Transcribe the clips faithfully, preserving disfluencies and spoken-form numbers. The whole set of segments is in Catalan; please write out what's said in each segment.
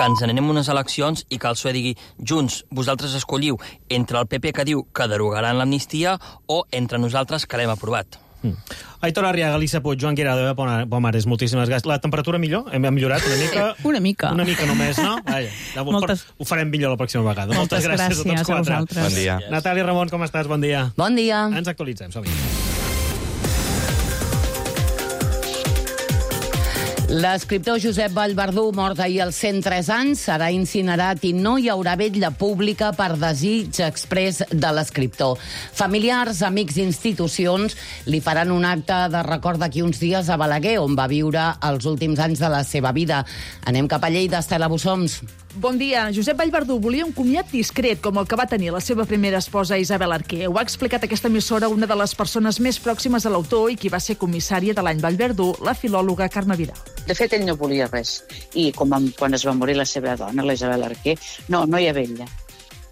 que ens anem unes eleccions i que el P S O E digui Junts, vosaltres escolliu entre el P P que diu que derogaran l'amnistia o entre nosaltres que l'hem aprovat. Mm. Aitor Arriaga, Elisa Puig, Joan Guirado, Pomares, moltíssimes gràcies. La temperatura millor? Hem millorat una mica? Una mica. Una mica només, no? Vaja, Moltes... Ho farem millor la pròxima vegada. Moltes, Moltes gràcies, gràcies a tots quatre. A vosaltres. Bon dia. Natàlia Ramon, com estàs? Bon dia. Bon dia. Ens actualitzem, som-hi. L'escriptor Josep Vallverdú, mort ahir als cent tres anys, serà incinerat i no hi haurà vetlla pública per desig exprés de l'escriptor. Familiars, amics i institucions li faran un acte de record d'aquí uns dies a Balaguer, on va viure els últims anys de la seva vida. Anem cap a Lleida, Estela Bussoms. Bon dia. Josep Vallverdú volia un comiat discret, com el que va tenir la seva primera esposa Isabel Arquer. Ho ha explicat aquesta emissora una de les persones més pròximes a l'autor i qui va ser comissària de l'any Vallverdú, la filòloga Carme Vidal. De fet, ell no volia res. I com quan es va morir la seva dona, la Isabel Arquer, no, no hi ha vetlla.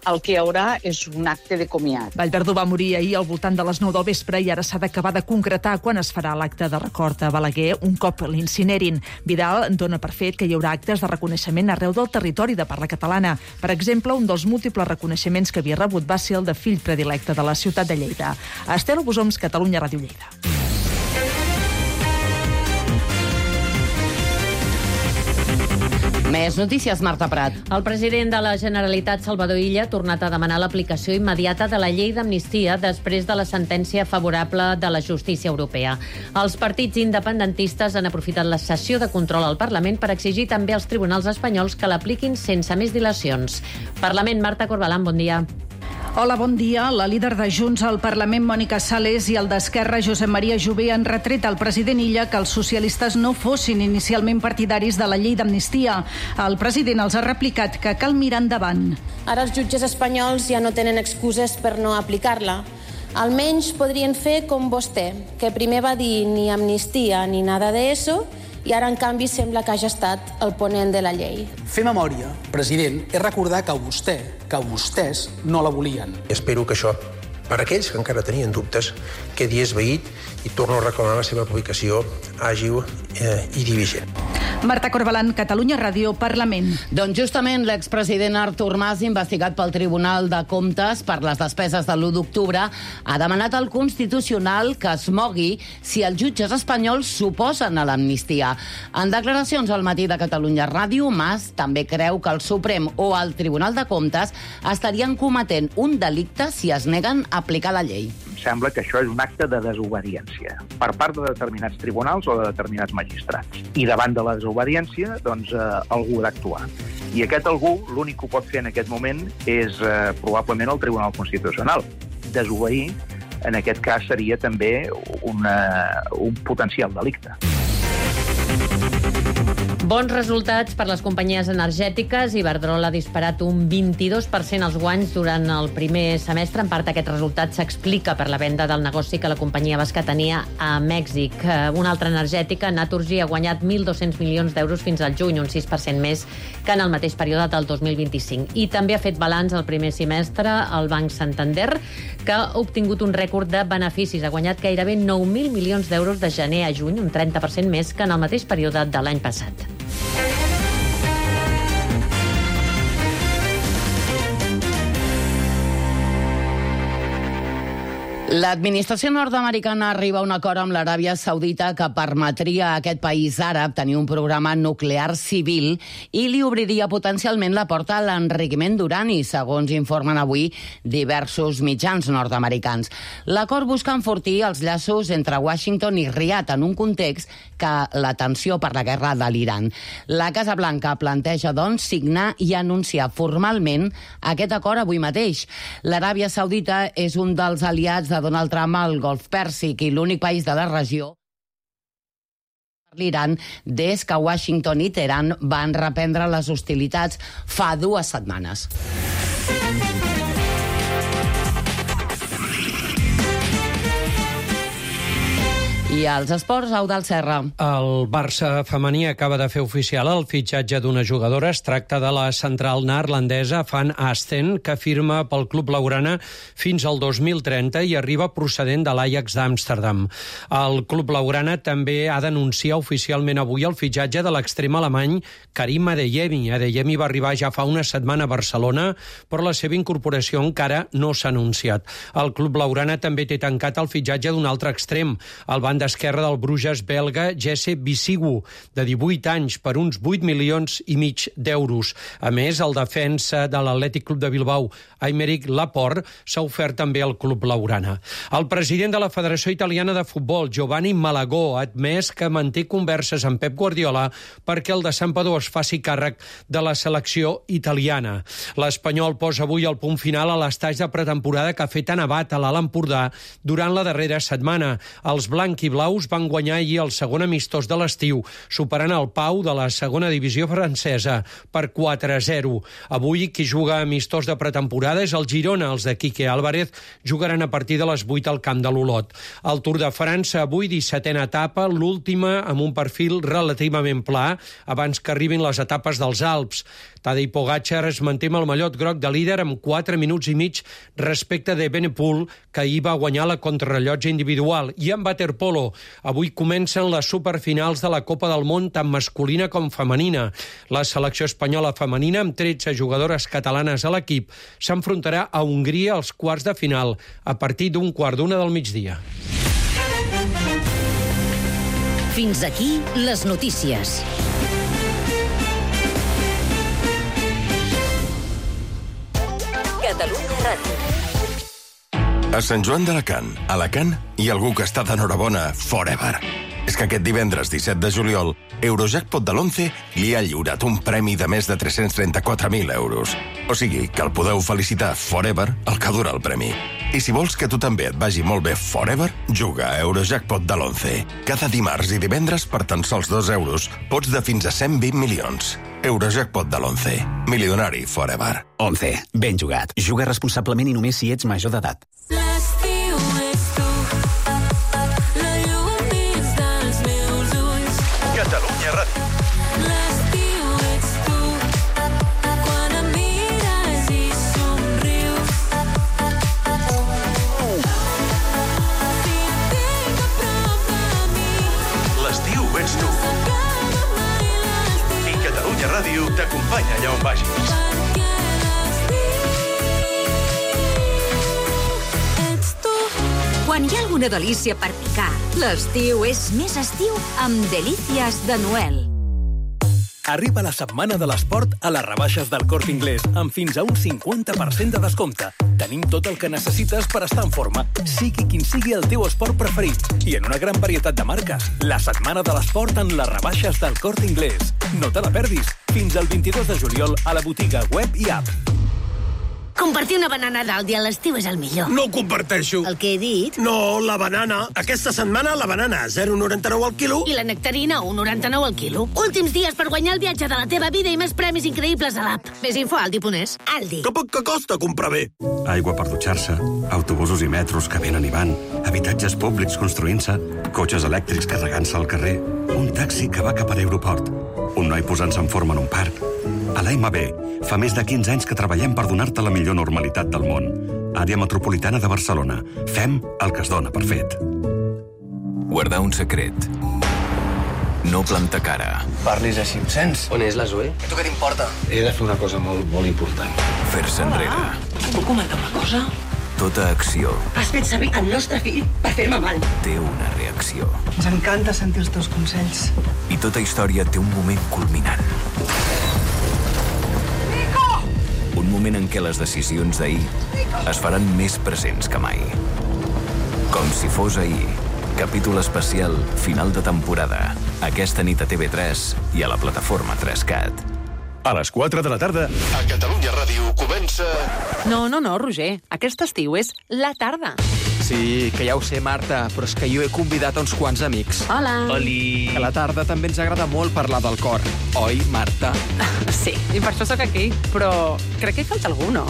El que hi haurà és un acte de comiat. Vallverdú va morir ahir al voltant de les nou del vespre i ara s'ha d'acabar de concretar quan es farà l'acte de record a Balaguer un cop l'incinerin. Vidal dona per fet que hi haurà actes de reconeixement arreu del territori de parla catalana. Per exemple, un dels múltiples reconeixements que havia rebut va ser el de fill predilecte de la ciutat de Lleida. Estela Bussoms, Catalunya Ràdio Lleida. Més notícies, Marta Prat. El president de la Generalitat, Salvador Illa, ha tornat a demanar l'aplicació immediata de la llei d'amnistia després de la sentència favorable de la justícia europea. Els partits independentistes han aprofitat la sessió de control al Parlament per exigir també als tribunals espanyols que l'apliquin sense més dilacions. Parlament, Marta Corbalán, bon dia. Hola, bon dia. La líder de Junts al Parlament, Mònica Sales, i el d'Esquerra, Josep Maria Jové, han retret al president Illa que els socialistes no fossin inicialment partidaris de la llei d'amnistia. El president els ha replicat que cal mirar endavant. Ara els jutges espanyols ja no tenen excuses per no aplicar-la. Almenys podrien fer com vostè, que primer va dir ni amnistia ni nada de eso, i ara, en canvi, sembla que hagi estat el ponent de la llei. Fer memòria, president, és recordar que vostè, que vostès no la volien. Espero que això, per aquells que encara tenien dubtes, quedi esvaït i torno a reclamar la seva aplicació àgil eh, i diligent. Marta Corbalán, Catalunya Ràdio, Parlament. Doncs justament l'expresident Artur Mas, investigat pel Tribunal de Comptes per les despeses de l'u d'octubre, ha demanat al Constitucional que es mogui si els jutges espanyols s'oposen a l'amnistia. En declaracions al matí de Catalunya Ràdio, Mas també creu que el Suprem o el Tribunal de Comptes estarien cometent un delicte si es neguen a aplicar la llei. Sembla que això és un acte de desobediència per part de determinats tribunals o de determinats magistrats. I davant de la desobediència, doncs, eh, algú ha d'actuar. I aquest algú, l'únic que ho pot fer en aquest moment és eh, probablement el Tribunal Constitucional. Desobeir, en aquest cas, seria també una, un potencial delicte. Bons resultats per les companyies energètiques. Iberdrola ha disparat un vint-i-dos per cent els guanys durant el primer semestre. En part, aquest resultat s'explica per la venda del negoci que la companyia basca tenia a Mèxic. Una altra energètica, Naturgy, ha guanyat mil dos-cents milions d'euros fins al juny, un sis per cent més que en el mateix període del dos mil vint-i-cinc. I també ha fet balanç el primer semestre el Banc Santander, que ha obtingut un rècord de beneficis. Ha guanyat gairebé nou mil milions d'euros de gener a juny, un trenta per cent més que en el mateix període de l'any passat. L'administració nord-americana arriba a un acord amb l'Aràbia Saudita que permetria a aquest país àrab tenir un programa nuclear civil i li obriria potencialment la porta a l'enriquiment d'urani, segons informen avui diversos mitjans nord-americans. L'acord busca enfortir els llaços entre Washington i Riad en un context que la tensió per la guerra de l'Iran. La Casa Blanca planteja, doncs, signar i anunciar formalment aquest acord avui mateix. L'Aràbia Saudita és un dels aliats de Donald Trump al Golf Pèrsic i l'únic país de la regió per l'Iran des que Washington i Teheran van reprendre les hostilitats fa dues setmanes. I als esports, Eudald Serra. El Barça femení acaba de fer oficial el fitxatge d'una jugadora. Es tracta de la central neerlandesa Van Asten, que firma pel club blaugrana fins al dos mil trenta i arriba procedent de l'Ajax d'Amsterdam. El club blaugrana també ha d'anunciar oficialment avui el fitxatge de l'extrem alemany Karim Adeyemi. Adeyemi va arribar ja fa una setmana a Barcelona, però la seva incorporació encara no s'ha anunciat. El club blaugrana també té tancat el fitxatge d'un altre extrem, el banda esquerre del Bruges belga Jesse Bisigu, de divuit anys, per uns vuit milions i mig d'euros. A més, el defensa de l'Atlètic Club de Bilbao, Aymeric Laporte, s'ha ofert també al club blaugrana. El president de la Federació Italiana de Futbol, Giovanni Malagò, ha admès que manté converses amb Pep Guardiola perquè el de Santpedor es faci càrrec de la selecció italiana. L'Espanyol posa avui el punt final a l'estatge de pretemporada que ha fet a Navat, a l'Alt Empordà, durant la darrera setmana. Els blanc i blaus van guanyar ahir el segon amistós de l'estiu, superant el Pau de la segona divisió francesa per quatre a zero. Avui, qui juga amistós de pretemporada és el Girona. Els de Quique Álvarez jugaran a partir de les vuit al camp de l'Olot. El Tour de França, avui, dissetena etapa, l'última amb un perfil relativament pla, abans que arribin les etapes dels Alps. Tadej Pogačar es manté amb el mallot groc de líder amb quatre minuts i mig respecte de Evenepoel, que ahir va guanyar la contrarrellotge individual. I en waterpolo, avui comencen les superfinals de la Copa del Món, tant masculina com femenina. La selecció espanyola femenina, amb tretze jugadores catalanes a l'equip, s'enfrontarà a Hongria als quarts de final a partir d'un quart d'una del migdia. Fins aquí les notícies. Catalunya Ràdio. A Sant Joan d'Alacant, Alacant, hi ha algú que està d'enhorabona forever. És que aquest divendres disset de juliol, Eurojackpot de l'once li ha lliurat un premi de més de tres-cents trenta-quatre mil euros. O sigui, que el podeu felicitar forever el que dura el premi. I si vols que tu també et vagi molt bé forever, juga a Eurojackpot de l'once. Cada dimarts i divendres, per tan sols dos euros, pots de fins a cent vint milions. Eurojackpot de l'once. Milionari forever. once. Ben jugat. Juga responsablement i només si ets major d'edat. L'estiu és tu, la llum dins dels meus ulls. Catalunya Ràdio. L'estiu ets tu, quan em mires i somrius. Si et tinc a prop de mi, l'estiu ets tu. I Catalunya Ràdio t'acompanya allà on vagis. Quan hi ha alguna delícia per picar, l'estiu és més estiu amb Delícies de Noel. Arriba la setmana de l'esport a les rebaixes del Corte Inglés, amb fins a un cinquanta per cent de descompte. Tenim tot el que necessites per estar en forma, sigui quin sigui el teu esport preferit, i en una gran varietat de marques. La setmana de l'esport en les rebaixes del Corte Inglés. No te la perdis. Fins al vint-i-dos de juliol a la botiga web i app. Compartir una banana dalt dia a l'estiu és el millor. No ho comparteixo. El que he dit? No, la banana. Aquesta setmana la banana a zero coma noranta-nou al quilo. I la nectarina a un coma noranta-nou al quilo. Últims dies per guanyar el viatge de la teva vida i més premis increïbles a l'app. Més info a Aldi punt es. Aldi. Que poc que costa comprar bé. Aigua per dutxar-se, autobusos i metros que venen i van, habitatges públics construint-se, cotxes elèctrics carregant-se al carrer, un taxi que va cap a l'aeroport, un noi posant-se en forma en un parc. A l'A M B fa més de quinze anys que treballem per donar-te la millor normalitat del món. Àrea metropolitana de Barcelona. Fem el que es dona per fet. Guardar un secret. No plantar cara. Parlis així amb sens. On és la Zoe? A tu què t'importa? He de fer una cosa molt, molt important. Fer-se enrere. Et puc comentar una cosa? Tota acció Has fet servir el nostre fill per fer-me mal. té una reacció. Ens encanta sentir els teus consells. I tota història té un moment culminant. Un moment en què les decisions d'ahir es faran més presents que mai. Com si fos ahir. Capítol especial, final de temporada. Aquesta nit a T V tres i a la plataforma tres cat. A les quatre de la tarda, a Catalunya Ràdio comença... No, no, no, Roger. Aquest estiu és la tarda. Sí, que ja ho sé, Marta, però és que jo he convidat a uns quants amics. Hola. Oli. A la tarda també ens agrada molt parlar del cor. Oi, Marta? Sí, i per això sóc aquí. Però crec que hi falta algú, no?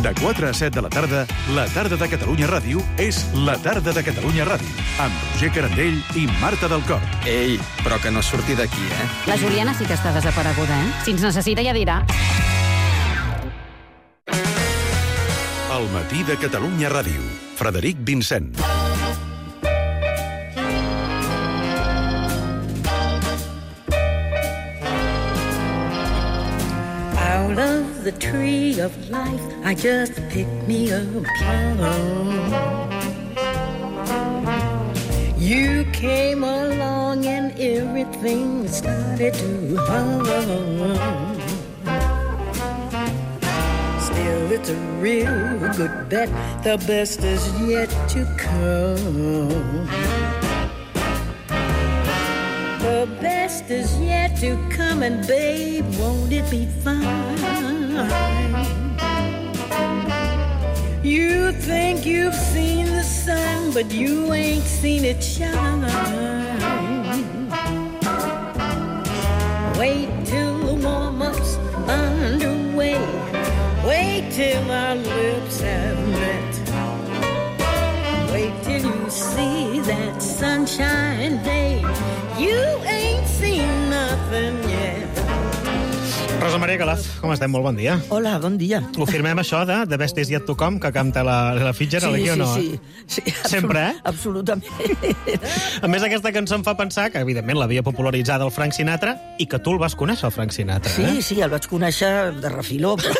De quatre a set de la tarda, la tarda de Catalunya Ràdio és la tarda de Catalunya Ràdio, amb Roger Carandell i Marta del Cor. Ei, però que no surti d'aquí, eh? La Juliana sí que està desapareguda, eh? Si ens necessita ja dirà. El matí de Catalunya Ràdio. Frederic Vincent. Out of the tree of life, I just picked me a plum. You came along and everything started to hum. Still, it's a real good bet. The best is yet to come. The best is yet to come, and babe, won't it be fine? You think you've seen the sun, but you ain't seen it shine. Wait till the warm-up's underway. Wait till our lips have met. Wait till you see that sunshine day. You ain't seen nothing yet. Rosa Maria Calaf, com estem? Molt bon dia. Hola, bon dia. Ho firmem això de The Best Is Yet To Come, que canta la, la Fitzgerald, sí, aquí o no? Sí, sí, sí. Sempre, eh? Absolutament. A més, aquesta cançó em fa pensar que, evidentment, l'havia popularitzada el Frank Sinatra i que tu el vas conèixer, el Frank Sinatra, sí, eh? Sí, sí, el vaig conèixer de refiló, però,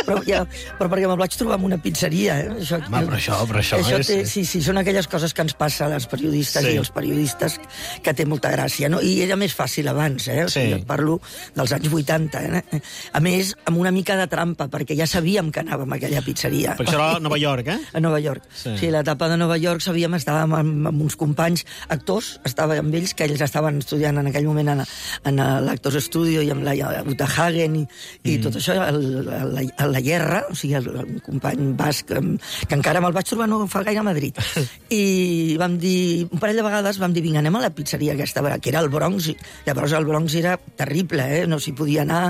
però, ja, però perquè me'l vaig trobar en una pizzeria, eh? Això, Home, però això, però això, això és... té, sí, sí, són aquelles coses que ens passa a les periodistes sí. i als periodistes que té molta gràcia, no? I era més fàcil abans, eh? O sigui, sí. Parlo dels anys vuitanta, eh? A més, amb una mica de trampa, perquè ja sabíem que anàvem a aquella pizzeria. Perquè això era a Nova York, eh? A Nova York. Sí, sí, l'etapa de Nova York sabíem, estàvem amb, amb uns companys actors, estàvem amb ells, que ells estaven estudiant en aquell moment en, en l'Actors Studio i amb la Uta Hagen i, i mm. tot això, a la, a la Guerra, o sigui, el, el company basc, que encara me'l vaig trobar no fa gaire a Madrid. I vam dir, un parell de vegades vam dir, vinga, anem a la pizzeria aquesta, que era el Bronx, i llavors el Bronx era terrible, eh? No s'hi podia anar,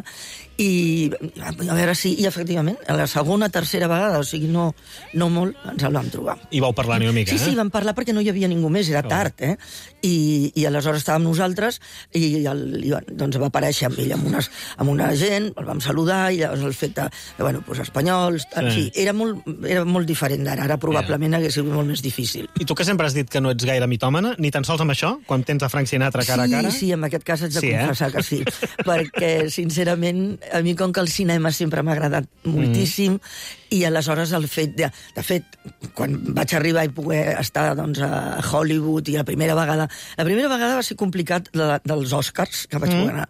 i a veure si, i efectivament, a la segona, tercera vegada, o sigui, no, no molt, ens el vam trobar. I vau parlar una mica, sí, eh? Sí, sí, vam parlar perquè no hi havia ningú més, era tard, eh? I, i aleshores estàvem nosaltres, i, el, i doncs va aparèixer amb ell, amb, unes, amb una gent, el vam saludar, i llavors el fet de, bueno, doncs espanyols, en sí. fi, era molt, era molt diferent d'ara, ara probablement hagués sigut molt més difícil. I tu que sempre has dit que no ets gaire mitòmana, ni tan sols amb això, quan tens a Frank Sinatra cara sí, a cara? Sí, sí, en aquest cas haig de sí, confessar eh? que sí, perquè, sincerament, a mi com que el cinema sempre m'ha agradat moltíssim, mm. i aleshores el fet de... De fet, quan vaig arribar i poder estar doncs, a Hollywood, i la primera vegada... La primera vegada va ser complicat la, dels Oscars, que vaig mm. poder anar.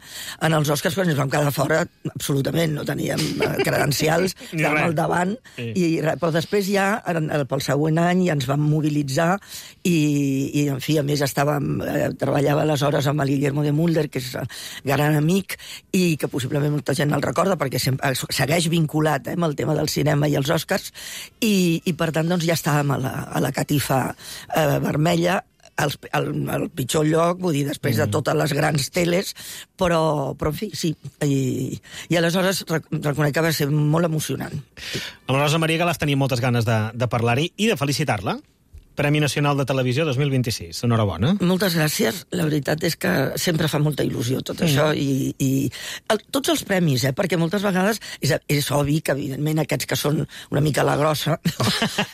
En els Oscars però ens vam quedar fora absolutament, no teníem credencials, estàvem al davant, sí. i, però després ja, pel següent any, ja ens vam mobilitzar, i, i en fi, a més, estàvem, eh, treballava aleshores amb el Guillermo de Mulder, que és gran amic, i que possiblement molta gent el recorda, perquè sempre, segueix vinculat eh, amb el tema del cinema i els Oscars, i, i per tant doncs, ja estàvem a la, a la catifa eh, vermella, al, al, al pitjor lloc, vull dir, després mm. de totes les grans teles, però, però en fi, sí. I, i aleshores reconec que va ser molt emocionant. Amb la Rosa Maria Calaf tenim moltes ganes de, de parlar-hi i de felicitar-la. Premi Nacional de Televisió dos mil vint-i-sis. Enhorabona. Moltes gràcies. La veritat és que sempre fa molta il·lusió tot mm. això. I, i el, tots els premis, eh? Perquè moltes vegades és, és obvi que, evidentment, aquests que són una mica la grossa,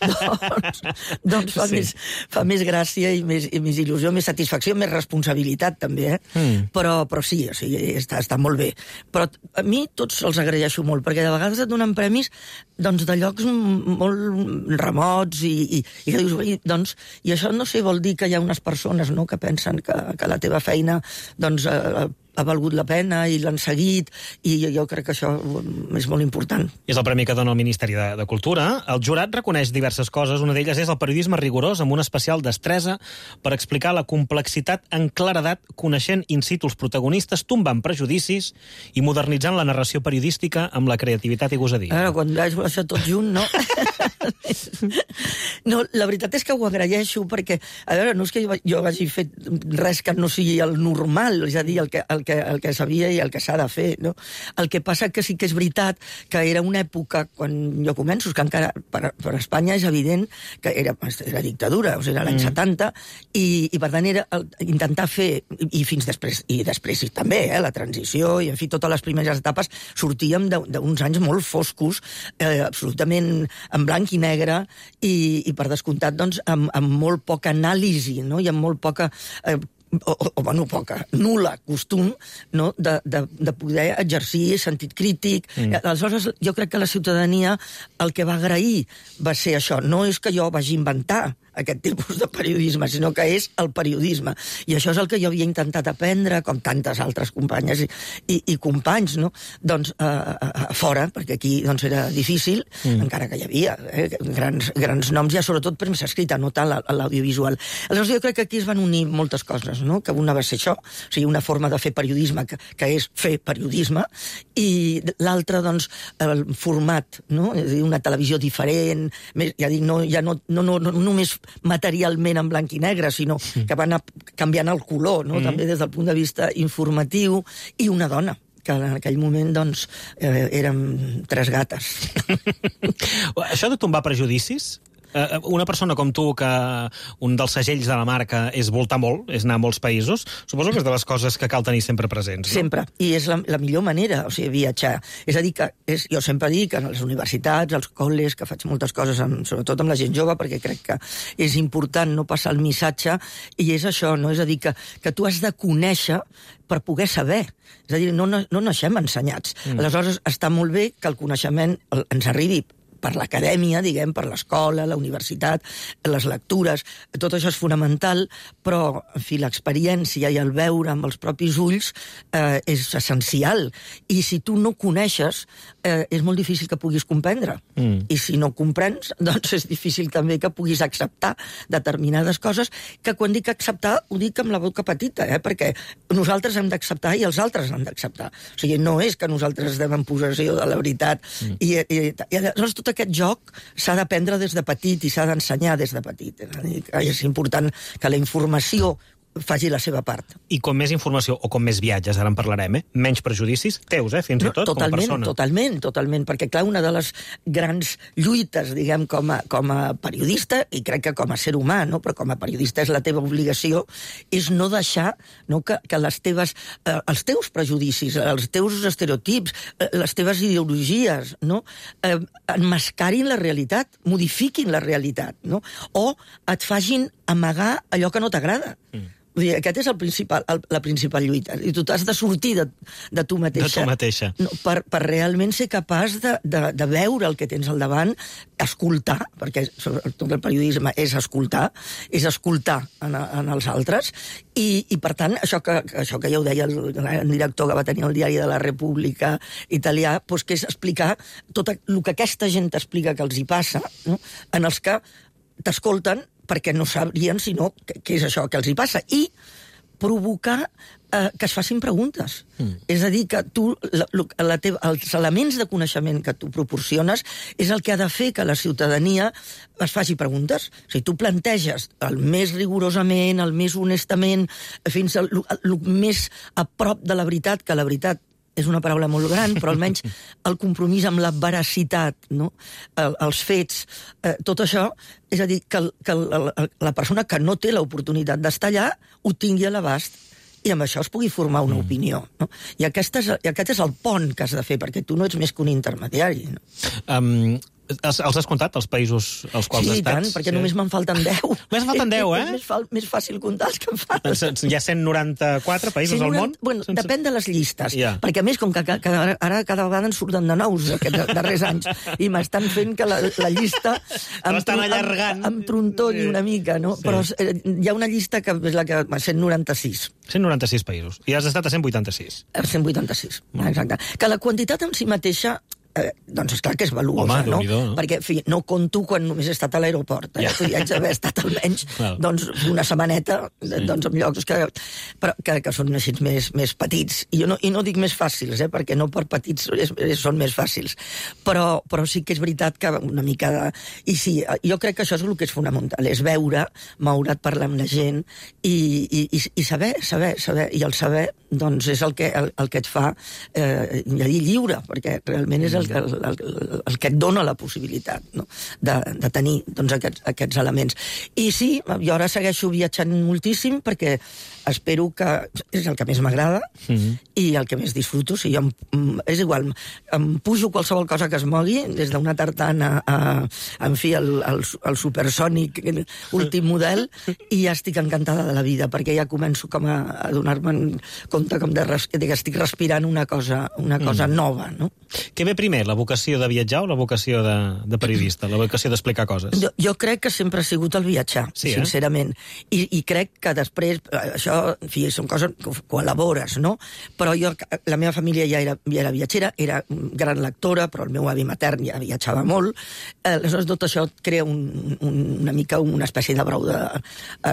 doncs, doncs fa, sí. més, fa més gràcia i més, i més il·lusió, més satisfacció, més responsabilitat, també, eh? Mm. Però, però sí, o sigui, està, està molt bé. Però a mi tots els agraeixo molt, perquè de vegades et donen premis doncs, de llocs molt remots i, i, i que dius... Doncs, i això, no sé, vol dir que hi ha unes persones no, que pensen que, que la teva feina doncs, eh, ha valgut la pena i l'han seguit, i jo crec que això és molt important. És el premi que dona el Ministeri de, de Cultura. El jurat reconeix diverses coses. Una d'elles és el periodisme rigorós amb una especial destresa per explicar la complexitat en claredat, coneixent in situ els protagonistes, tombant prejudicis i modernitzant la narració periodística amb la creativitat i gosadia. Ara, quan veig això tot junt, no? No, la veritat és que ho agraeixo perquè, a veure, no és que jo, jo hagi fet res que no sigui el normal, és a dir, el que, el que, el que sabia i el que s'ha de fer, no? El que passa que sí que és veritat que era una època, quan jo començo, que encara per, per Espanya és evident que era, era dictadura, o sigui, era l'any mm. setanta, i, i per tant era el, intentar fer, i fins després, i després i també, eh, la transició, i en fi, totes les primeres etapes, sortíem d'uns anys molt foscos, eh, absolutament en blanc i negre, i, i per descomptat, doncs, amb, amb molt poca anàlisi, no? I amb molt poca... Eh, o, o, bueno, poca, nul·la costum, no? de, de, de poder exercir sentit crític. Mm. Aleshores, jo crec que la ciutadania el que va agrair va ser això. No és que jo vagi inventar aquest tipus de periodisme, sinó que és el periodisme. I això és el que jo havia intentat aprendre, com tantes altres companyes i, i, i companys, no? Doncs a, a, a fora, perquè aquí doncs, era difícil, mm. encara que hi havia eh, grans, grans noms, ja sobretot premsa escrita, no tant l'audiovisual. Aleshores jo crec que aquí es van unir moltes coses, no? Que una va ser això, o sigui, una forma de fer periodisme, que, que és fer periodisme, i l'altra, doncs, el format, no? És a dir, una televisió diferent, més, ja dic, no, ja no, no, no, no només materialment en blanc i negre, sinó que va anar canviant el color, no? Mm. També des del punt de vista informatiu, i una dona, que en aquell moment, doncs, eh, érem tres gates. Això de tombar prejudicis, Uh, una persona com tu, que un dels segells de la marca és voltar molt, és anar a molts països, suposo que és de les coses que cal tenir sempre presents, no? Sempre, i és la, la millor manera, o sigui, viatjar. És a dir, que és, jo sempre dic que en les universitats, als col·les, que faig moltes coses, amb, sobretot amb la gent jove, perquè crec que és important no passar el missatge, i és això, no? És a dir, que, que tu has de conèixer per poder saber. És a dir, no, no, no naixem ensenyats. Mm. Aleshores, està molt bé que el coneixement ens arribi per l'acadèmia, diguem, per l'escola, la universitat, les lectures, tot això és fonamental, però, en fi, l'experiència i el veure amb els propis ulls eh, és essencial. I si tu no coneixes, eh, és molt difícil que puguis comprendre. Mm. I si no comprens, doncs és difícil també que puguis acceptar determinades coses, que quan dic acceptar, ho dic amb la boca petita, eh? Perquè nosaltres hem d'acceptar i els altres han d'acceptar. O sigui, no és que nosaltres estem en possessió de la veritat. Mm. I, i, i aleshores tot aquest joc s'ha d'aprendre des de petit i s'ha d'ensenyar des de petit. És important que la informació faci la seva part. I com més informació o com més viatges, ara en parlarem, eh? Menys prejudicis teus, eh? Fins i tot, totalment, com a persona. Totalment, totalment, perquè clar, una de les grans lluites, diguem, com a, com a periodista, i crec que com a ser humà, no? Però com a periodista és la teva obligació, és no deixar, no, que, que les teves, eh, els teus prejudicis, els teus estereotips, eh, les teves ideologies, no? Eh, enmascarin la realitat, modifiquin la realitat, no? O et facin amagar allò que no t'agrada. Mm. Vull dir, aquest és el principal, el, la principal lluita. I tu t'has de sortir de, de tu mateixa. De tu mateixa. No, per, per realment ser capaç de, de, de veure el que tens al davant, escoltar, perquè tot el periodisme és escoltar, és escoltar en, en els altres, i, i per tant, això que, això que ja ho deia el, el director que va tenir el diari de la República italià, doncs que és explicar tot el que aquesta gent t'explica que els hi passa, no? En els que t'escolten perquè no sabrien sinó què és això que els hi passa, i provocar eh, que es facin preguntes. Mm. És a dir, que tu, la, la teva, els elements de coneixement que tu proporciones és el que ha de fer que la ciutadania es faci preguntes. O sigui, tu planteges el més rigorosament, el més honestament, fins al més a prop de la veritat, que la veritat és una paraula molt gran, però almenys el compromís amb la veracitat, no? El, els fets, eh, tot això, és a dir, que, el, que el, la persona que no té l'oportunitat d'estar allà ho tingui a l'abast i amb això es pugui formar una mm. opinió. No? I, aquest és, I aquest és el pont que has de fer, perquè tu no ets més que un intermediari. No? Um... Els, els has comptat, els països als quals sí, has estat? Sí, tant, perquè sí. Només me'n falten deu. Només falten deu, eh? És més, fa, més fàcil comptar els que em falten. Hi ha cent noranta-quatre països al món? Bueno, sense... depèn de les llistes, yeah. Perquè a més, com que cada, ara cada vegada en surten de nous aquests darrers anys, i m'estan fent que la, la llista em, estan allargant. Em, em trontolli una mica, no? Sí. Però eh, hi ha una llista que és la que... cent noranta-sis. cent noranta-sis països. I has estat a cent vuitanta-sis. A cent vuitanta-sis, mm. Exacte. Que la quantitat en si mateixa eh, doncs esclar que és valuosa, Home, no? Déu-n'hi-do, no? Perquè, en fi, no conto quan només he estat a l'aeroport. Eh? Ja. Ja. Haig d'haver estat almenys doncs, una setmaneta doncs, en llocs que, però, que, que són així més, més petits. I, jo no, I no dic més fàcils, eh? Perquè no per petits és, és, són més fàcils. Però, però sí que és veritat que una mica de... I sí, jo crec que això és el que és fonamental, és veure, moure't, parlar amb la gent i, i, i saber, saber, saber. I el saber doncs, és el que, el, el que et fa eh, dir lliure, perquè realment és el, el, el, el que et dona la possibilitat, no? de, de tenir doncs, aquests, aquests elements. I sí, jo ara segueixo viatjant moltíssim perquè espero que és el que més m'agrada mm-hmm. i el que més disfruto. O sigui, em, és igual, em pujo qualsevol cosa que es mogui, des d'una tartana a, en fi, el, el, el supersònic últim model, i ja estic encantada de la vida, perquè ja començo com a, a donar-me compte com de, res, de que estic respirant una cosa, una cosa mm. nova, no? Què ve primer, la vocació de viatjar o la vocació de, de periodista, la vocació d'explicar coses? Jo, jo crec que sempre ha sigut el viatjar, sí, eh? sincerament. I, I crec que després, això, en fi, són coses que ho elabores, no? Però jo, la meva família ja era, ja era viatgera, era gran lectora, però el meu avi matern ja viatjava molt. Aleshores, tot això et crea un, un, una mica una espècie de brou de,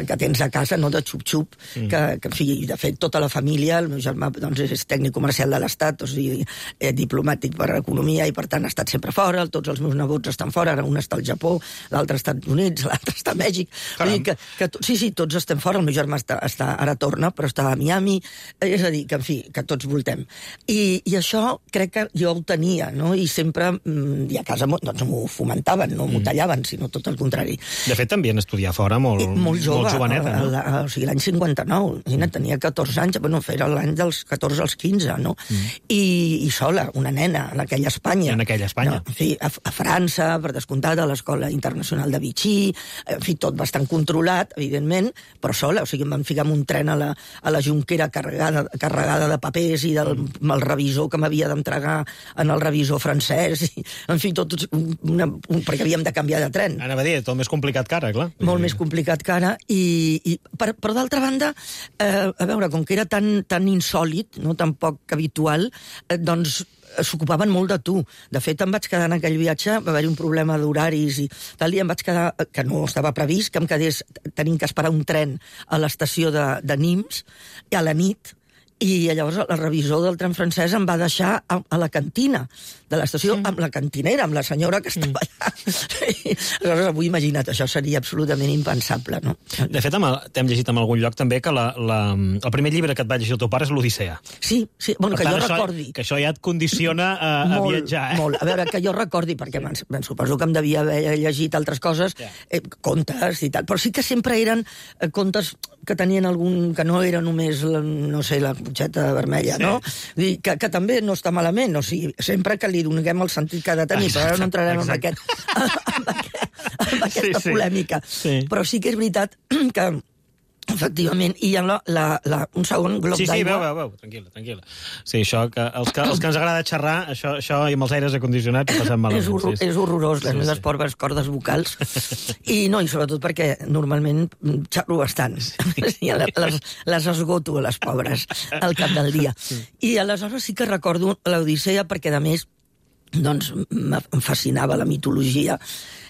que tens a casa, no?, de xup-xup, mm. que, que, en fi, de fet, tota la família, el meu germà doncs, és tècnic comercial de l'Estat, o sigui, eh, diplomàtic per economia, i per tant ha estat sempre fora, tots els meus nebots estan fora, ara un està al Japó, l'altre als Estats Units, l'altre està a Mèxic. Vull dir que, que, sí, sí, tots estem fora, el meu germà està, està, ara torna, però està a Miami, és a dir, que en fi, que tots voltem. I, i això crec que jo ho tenia, no? I sempre, i a casa doncs, m'ho fomentaven, no m'ho tallaven, sinó tot el contrari. De fet, també en estudiar fora molt, I, molt jove, molt joveneta, no? A, a, o sigui, l'any cinquanta-nou, Gina, tenia catorze anys, bueno, era l'any dels catorze als quinze, no? Mm. I, I sola, una nena, en aquella Espanya. En aquella Espanya. No, en fi, a, a França, per descomptat, a l'Escola Internacional de Vichy, en fi, tot bastant controlat, evidentment, però sola, o sigui, em van ficar en un tren a la, a la Junquera carregada, carregada de papers i del mm. el revisor que m'havia d'entregar en el revisor francès, i, en fi, tot, una, un, perquè havíem de canviar de tren. Anava a dir, tot més complicat que ara, clar. Molt més complicat que ara, i, i per, però d'altra banda, eh, a veure, com que era tan, tan insòlid, no, tan poc habitual, eh, doncs s'ocupaven molt de tu. De fet, em vaig quedar en aquell viatge, va haver-hi un problema d'horaris i tal, i em vaig quedar, que no estava previst, que em quedés tenint que esperar un tren a l'estació de, de Nimes, a la nit, i llavors el revisor del tren francès em va deixar a, a la cantina de l'estació, mm. amb la cantinera, amb la senyora que estava mm. allà. Aleshores, avui, imagina't, això seria absolutament impensable, no? De fet, t'hem llegit en algun lloc també que la, la, el primer llibre que et va llegir el teu pare és l'Odissea. Sí, sí, bueno, per que tant, jo això, recordi. Que això ja et condiciona a, a molt, viatjar, eh? Molt, a veure, que jo recordi, perquè ben, ben suposo que em devia haver llegit altres coses, yeah. eh, contes i tal, però sí que sempre eren eh, contes que tenien algun... que no era només, la, no sé, la cotxeta vermella, sí. no? Dir, que, que també no està malament, o sigui, sempre que li donem el sentit que ha de tenir, exacte, però ara no entrarem en, aquest, en, aquest, en aquesta sí, sí. polèmica. Sí. Però sí que és veritat que efectivament, i hi ha la, la, la, un segon glob sí, sí, d'aigua... Sí, sí, veu, veu, tranquil·la, tranquil·la. Sí, això, que els, que els que ens agrada xerrar, això, això i amb els aires acondicionats ho passem malament. És, horror, sí, sí. és horrorós, les sí, meves sí. pobres cordes vocals. I no, i sobretot perquè normalment xerro bastant. Sí, les, les esgoto, les pobres, al cap del dia. I aleshores sí que recordo l'Odissea perquè, a més, doncs em fascinava la mitologia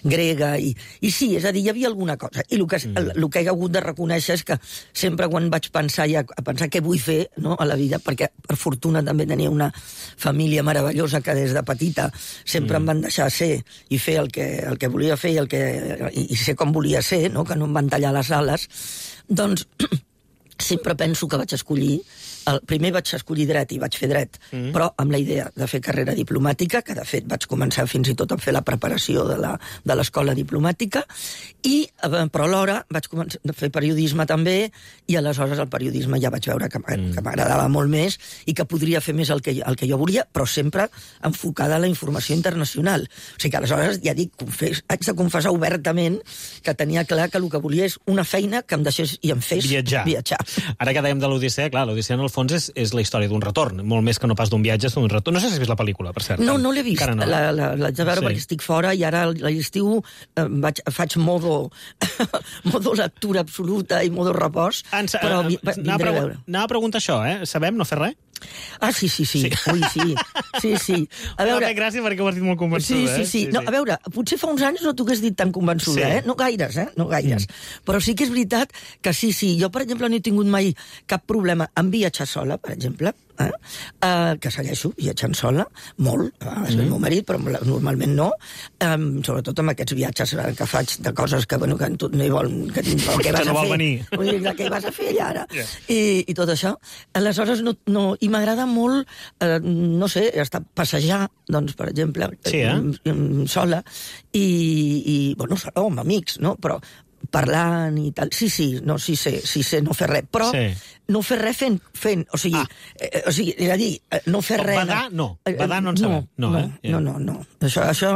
grega i, i sí, és a dir, hi havia alguna cosa i el que, el, el que he hagut de reconèixer és que sempre quan vaig pensar ja, a pensar què vull fer, no, a la vida, perquè per fortuna també tenia una família meravellosa que des de petita sempre mm. em van deixar ser i fer el que, el que volia fer i, el que, i, i ser com volia ser, no, que no em van tallar les ales, doncs sempre penso que vaig escollir el primer vaig escollir dret i vaig fer dret, mm. però amb la idea de fer carrera diplomàtica, que de fet vaig començar fins i tot a fer la preparació de la, de l'escola diplomàtica, i, però alhora vaig començar a fer periodisme també, i aleshores el periodisme ja vaig veure que m'agradava mm. molt més i que podria fer més el que, el que jo volia, però sempre enfocada a la informació internacional. O sigui que aleshores, ja dic, confés, haig de confessar obertament que tenia clar que el que volia és una feina que em deixés i em fes viatjar. viatjar. Ara que dèiem de l'Odissea, clar, l'Odissea en el fons és, és la història d'un retorn, molt més que no pas d'un viatge, és d'un retorn. No sé si has vist la pel·lícula, per cert. No, no l'he vist. No. La, la, l'haig de veure sí. perquè estic fora i ara a l'estiu eh, vaig, faig modo, modo lectura absoluta i modo repòs, Ens, però uh, vindré anava, a veure. Anava a preguntar això, eh? Sabem no fer res? Ah, sí, sí, sí. sí. Ui, sí. Sí, sí. A veure... M'ha gràcia perquè ho has dit molt convençuda, sí, sí, sí. eh? Sí, no, sí. A veure, potser fa uns anys no t'ho hagués dit tan convençuda, sí. eh? No gaires, eh? No gaires. Mm. Però sí que és veritat que sí, sí. Jo, per exemple, no he tingut mai cap problema en viatjar sola, per exemple, eh? Uh, que segueixo viatjant sola, molt, a vegades mm. el meu marit, però normalment no, um, sobretot amb aquests viatges que faig de coses que, bueno, que tu no hi vol... Que, que, que vas no a vol fer. venir. Vull dir, què vas a fer allà ara? Yeah. I, I tot això. Aleshores, no, no, i m'agrada molt, eh, no sé, estar passejar, doncs, per exemple, sí, eh? sola, i, i bueno, sola o amb amics, no? Però parlant i tal. Sí, sí, no, sí sé, sí sé no fer res, però sí. no fer res fent, fent o sigui, ah. eh, o sigui, és a dir, no fer res... Badar, no. Badar no en sabem. No, no, eh? no, no, no. Això, això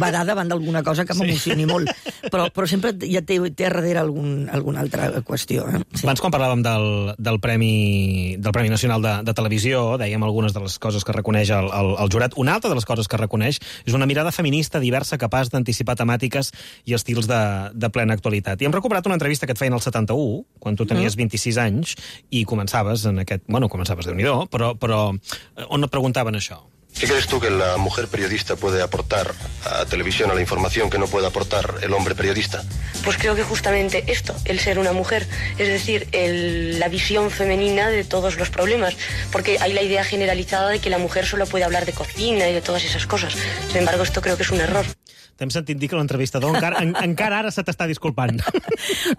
badar davant d'alguna cosa que m'emocioni sí. molt, però, però sempre ja té, té a darrere algun, alguna altra qüestió. Eh? Sí. Abans, quan parlàvem del, del, Premi, del Premi Nacional de, de Televisió, dèiem algunes de les coses que reconeix el, el, el jurat. Una altra de les coses que reconeix és una mirada feminista diversa capaç d'anticipar temàtiques i estils de, de plena actualitat. I hem recuperat una entrevista que et feien al setanta-u, quan tu tenies mm. vint-i-sis anys, i començaves en aquest... Bueno, començaves de Déu-n'hi-do, però, però on et preguntaven això? ¿Qué crees tú que la mujer periodista puede aportar a televisión, a la información, que no puede aportar el hombre periodista? Pues creo que justamente esto, el ser una mujer, es decir, el, la visión femenina de todos los problemas, porque hay la idea generalizada de que la mujer solo puede hablar de cocina y de todas esas cosas. Sin embargo, esto creo que es un error. T'hem sentit dir que l'entrevistador encara, en, encara ara se t'està disculpant.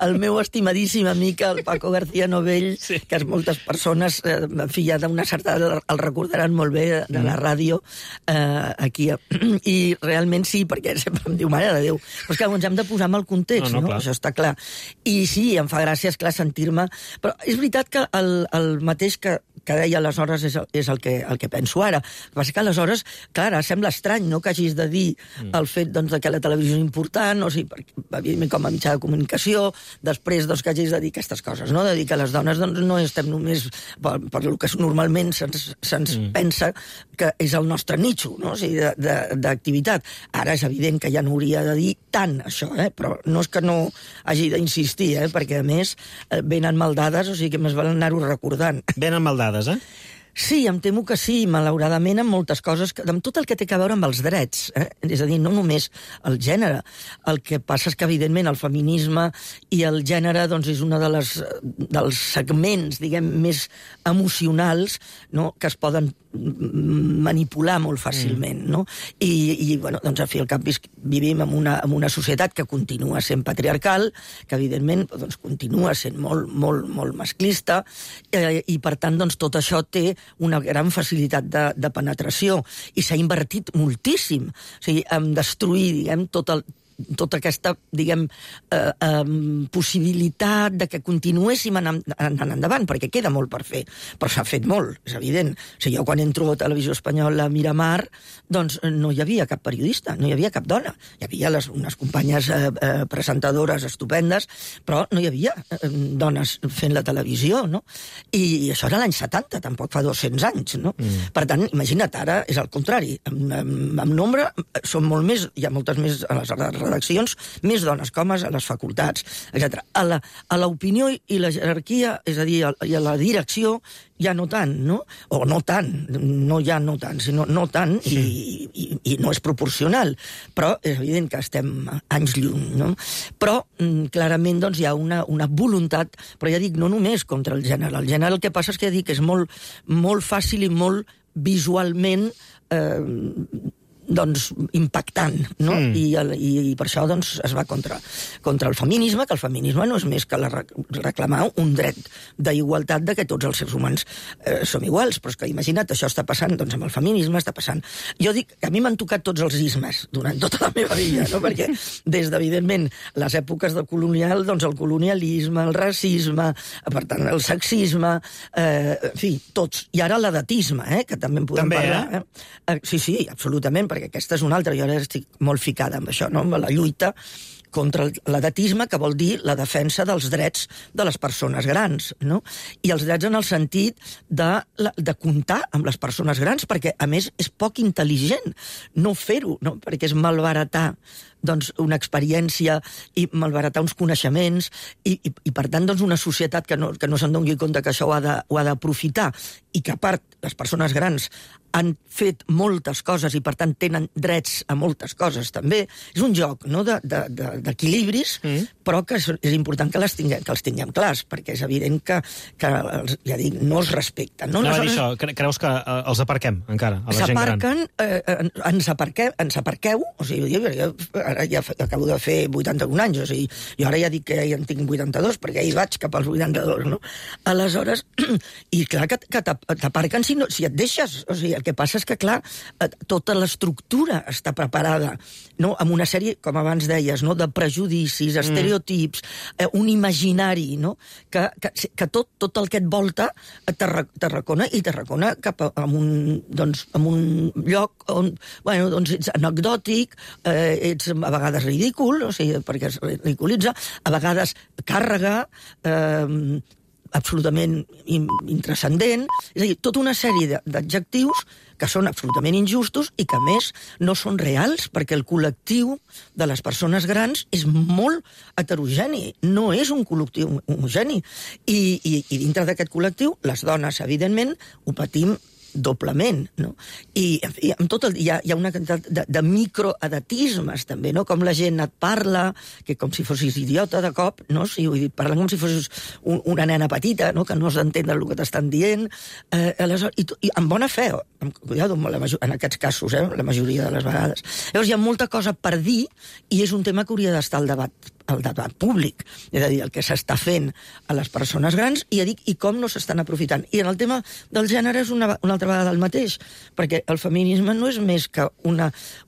El meu estimadíssim amic, el Paco García Novell, sí. que moltes persones, eh, en fi, ja d'una certa el recordaran molt bé de, de la ràdio, eh, aquí. I realment sí, perquè sempre em diu, mare de Déu. Però és que ens hem de posar en el context, no? no? no? Això està clar. I sí, em fa gràcia, esclar, sentir-me... Però és veritat que el, el mateix que, que deia aleshores és, el, és el, que, el que penso ara. El que passa que aleshores, clar, sembla estrany, no?, que hagis de dir mm. el fet, doncs, de que la televisió és important, o sigui, evidentment com a mitjà de comunicació, després doncs, que hagis de dir aquestes coses, no? De dir que les dones doncs, no estem només per, per el que normalment se'ns se mm. pensa que és el nostre nitxo, no? O sigui, d'activitat. Ara és evident que ja no hauria de dir tant això, eh? Però no és que no hagi d'insistir, eh? Perquè a més venen maldades, o sigui que més val anar-ho recordant. Venen maldades, eh? Sí, em temo que sí, malauradament, amb moltes coses, amb tot el que té a veure amb els drets, eh? És a dir, no només el gènere. El que passa és que, evidentment, el feminisme i el gènere doncs, és un de les, dels segments, diguem, més emocionals, no?, que es poden manipular molt fàcilment, no? I, i bueno, doncs, al fi al cap vivim en una, en una societat que continua sent patriarcal, que, evidentment, doncs, continua sent molt, molt, molt masclista, eh, i, per tant, doncs, tot això té una gran facilitat de, de penetració, i s'ha invertit moltíssim, o sigui, en destruir, diguem, tot el tota aquesta, diguem, eh, eh, possibilitat de que continuéssim anant, anant endavant, perquè queda molt per fer, però s'ha fet molt, és evident. O sigui, jo quan entro a Televisió Espanyola a Miramar, doncs no hi havia cap periodista, no hi havia cap dona. Hi havia les, unes companyes eh, eh, presentadores estupendes, però no hi havia eh, dones fent la televisió, no? I, i això era l'any setanta, tampoc fa dos-cents anys, no? Mm. Per tant, imagina't, ara és al contrari. En, en, en nombre són molt més, hi ha moltes més a les redaccions, més dones que homes a les facultats, etcètera. A la, a l'opinió i la jerarquia, és a dir, a, i a la direcció, ja no tant, no? O no tant, no ja no tant, sinó no tant, i, i, i no és proporcional. Però és evident que estem anys lluny, no? Però, clarament, doncs, hi ha una, una voluntat, però ja dic, no només contra el gènere. El gènere el que passa és que ja dic, és molt, molt fàcil i molt visualment eh, doncs, impactant, no? Mm. I, el, i, I per això doncs, es va contra, contra el feminisme, que el feminisme no és més que la, reclamar un dret d'igualtat de que tots els éssers humans eh, som iguals, però és que imagina't, això està passant doncs, amb el feminisme, està passant. Jo dic que a mi m'han tocat tots els ismes durant tota la meva vida, no? Perquè des d'evidentment les èpoques del colonial, doncs el colonialisme, el racisme, per tant el sexisme, eh, en fi, tots. I ara l'edatisme, eh, que també en podem també, parlar. Eh? Eh, sí, sí, absolutament, perquè aquesta és una altra, jo ara estic molt ficada amb això, no? Amb la lluita contra l'edatisme, que vol dir la defensa dels drets de les persones grans, no? I els drets en el sentit de, de comptar amb les persones grans, perquè, a més, és poc intel·ligent no fer-ho, no? Perquè és malbaratar doncs, una experiència i malbaratar uns coneixements i, i, i per tant, doncs, una societat que no, que no se'n doni compte que això ho ha de, ho ha d'aprofitar i que, a part, les persones grans han fet moltes coses i, per tant, tenen drets a moltes coses, també. És un joc, no?, de, de, de, d'equilibris, mm. però que és, és important que, les tinguem, que els tinguem clars, perquè és evident que, que els, ja dic, no els respecten. No, no va dir això, creus que eh, els aparquem, encara, a la gent gran? S'aparquen, eh, ens, aparqueu, ens aparqueu, o sigui, jo, jo ara ja acabo de fer vuitanta-un anys, o sigui, jo ara ja dic que ja en tinc vuitanta-dos, perquè ja hi vaig cap als vuitanta-dos, no? Aleshores, i clar que, que t'aparquen si, no, si et deixes, o sigui, el que passa és que, clar, tota l'estructura està preparada, no?, amb una sèrie, com abans deies, no?, de prejudicis, estereotips, mm. eh, un imaginari, no?, que, que, que tot, tot el que et volta t'arracona i t'arracona cap a, a un, doncs, a un lloc on, bueno, doncs ets anecdòtic, eh, ets a vegades ridícul, o sigui, perquè es ridiculitza, a vegades càrrega, eh, absolutament intranscendent, és a dir, tota una sèrie d'adjectius que són absolutament injustos i que, a més, no són reals, perquè el col·lectiu de les persones grans és molt heterogeni, no és un col·lectiu homogeni. I, i, i dintre d'aquest col·lectiu, les dones, evidentment, ho patim doblement, no? I, i amb tot el, hi, ha, hi ha una quantitat de, de microedatismes, també, no? Com la gent et parla, que com si fossis idiota de cop, no? Sí, vull dir, parlen com si fossis un, una nena petita, no? Que no has d'entendre el que t'estan dient, eh, aleshores, i, i amb bona fe, amb, cuidado, amb la major, en aquests casos, eh, la majoria de les vegades. Llavors hi ha molta cosa per dir i és un tema que hauria d'estar al debat el debat públic, és a dir, el que s'està fent a les persones grans i, dic, i com no s'estan aprofitant. I en el tema del gènere és una, una altra vegada el mateix, perquè el feminisme no és més que una,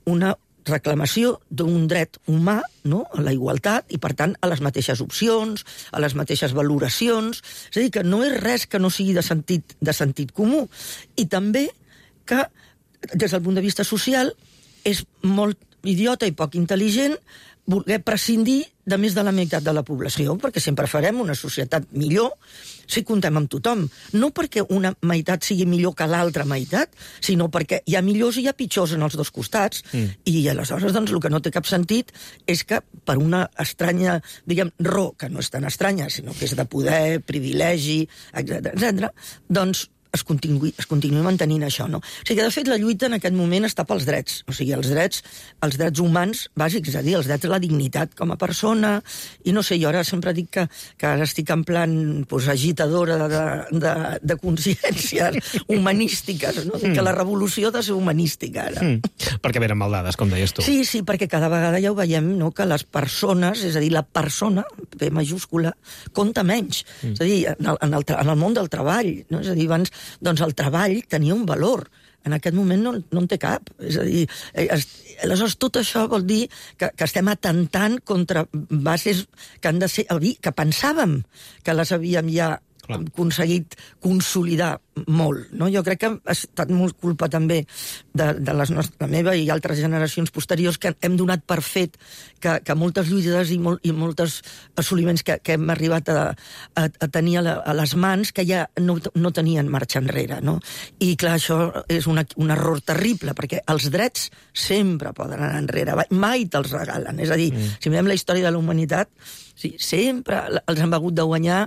una reclamació d'un dret humà, no?, a la igualtat i, per tant, a les mateixes opcions, a les mateixes valoracions. És a dir, que no és res que no sigui de sentit, de sentit comú. I també que, des del punt de vista social, és molt idiota i poc intel·ligent voler prescindir de més de la meitat de la població, perquè sempre farem una societat millor si comptem amb tothom. No perquè una meitat sigui millor que l'altra meitat, sinó perquè hi ha millors i hi ha pitjors en els dos costats. Mm. I aleshores, doncs, el que no té cap sentit és que per una estranya, diguem, raó, que no és tan estranya, sinó que és de poder, privilegi, etcètera, etcètera, doncs es continuï, es continuï mantenint això, no? O sigui que, de fet, la lluita en aquest moment està pels drets. O sigui, els drets, els drets humans bàsics, és a dir, els drets de la dignitat com a persona, i no sé, jo ara sempre dic que, que ara estic en plan pues, agitadora de, de, de consciències humanístiques, no? Mm. Que la revolució ha de ser humanística, ara. Mm. Perquè venen maldades, com deies tu. Sí, sí, perquè cada vegada ja ho veiem, no?, que les persones, és a dir, la persona, P majúscula, compta menys. Mm. És a dir, en el, en, el, en el món del treball, no? És a dir, abans doncs el treball tenia un valor. En aquest moment no, no en té cap. És a dir, es, aleshores tot això vol dir que, que estem atentant contra bases que han de ser, que pensàvem que les havíem ja Clar. aconseguit consolidar molt, no? Jo crec que ha estat molt culpa també de, de les nostres, la meva i altres generacions posteriors que hem donat per fet que, que moltes lluites i, molt, i moltes assoliments que, que hem arribat a, a, a tenir a, la, a les mans que ja no, no tenien marxa enrere, no? I clar, això és una, un error terrible, perquè els drets sempre poden anar enrere, mai te'ls regalen. És a dir, mm. si mirem la història de la humanitat, sí, sempre els han hagut de guanyar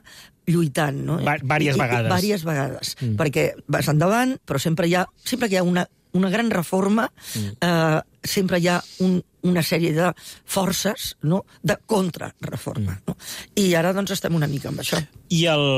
lluitant, no? Va, vàries I, vegades. I, vàries vegades, mm. perquè vas endavant, però sempre hi ha, sempre que hi ha una, una gran reforma, mm. eh, sempre hi ha un, una sèrie de forces, no?, de contrarreforma. Mm. No? I ara, doncs, estem una mica amb això. I el,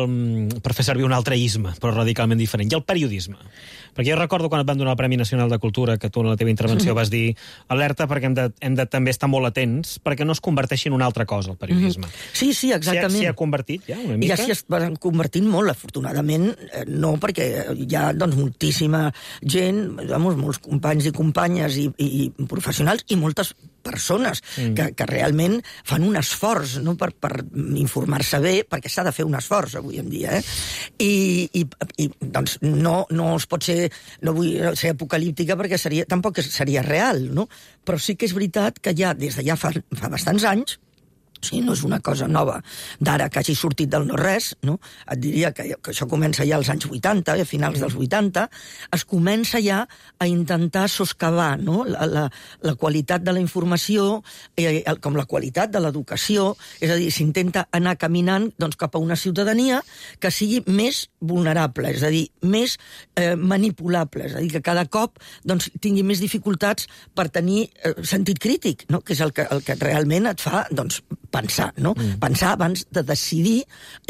per fer servir un altre isme, però radicalment diferent, i el periodisme. Perquè jo recordo quan et van donar el Premi Nacional de Cultura, que tu en la teva intervenció vas dir alerta perquè hem de, hem de també estar molt atents perquè no es converteixi en una altra cosa, el periodisme. Mm-hmm. Sí, sí, exactament. S'hi ha, ha convertit ja una mica? Ja s'hi estan convertint molt, afortunadament, no, perquè hi ha doncs, moltíssima gent, vamos, molts companys i companyes i, i professionals i moltes persones mm. que, que realment fan un esforç, no?, per, per informar-se bé, perquè s'ha de fer un esforç avui en dia, eh? I, i, i doncs no, no es pot ser, no vull ser apocalíptica perquè seria, tampoc seria real, no? Però sí que és veritat que ja, des de ja fa, fa bastants anys, O sigui, no és una cosa nova d'ara que hagi sortit del no-res, no? Et diria que, que això comença ja als anys vuitanta, a finals dels vuitanta, es comença ja a intentar soscavar, no? la, la, la qualitat de la informació, eh, com la qualitat de l'educació, és a dir, s'intenta anar caminant doncs, cap a una ciutadania que sigui més vulnerable, és a dir, més eh, manipulable, és a dir, que cada cop doncs, tingui més dificultats per tenir eh, sentit crític, no? Que és el que, el que realment et fa doncs, pensar, no? Mm. Pensar abans de decidir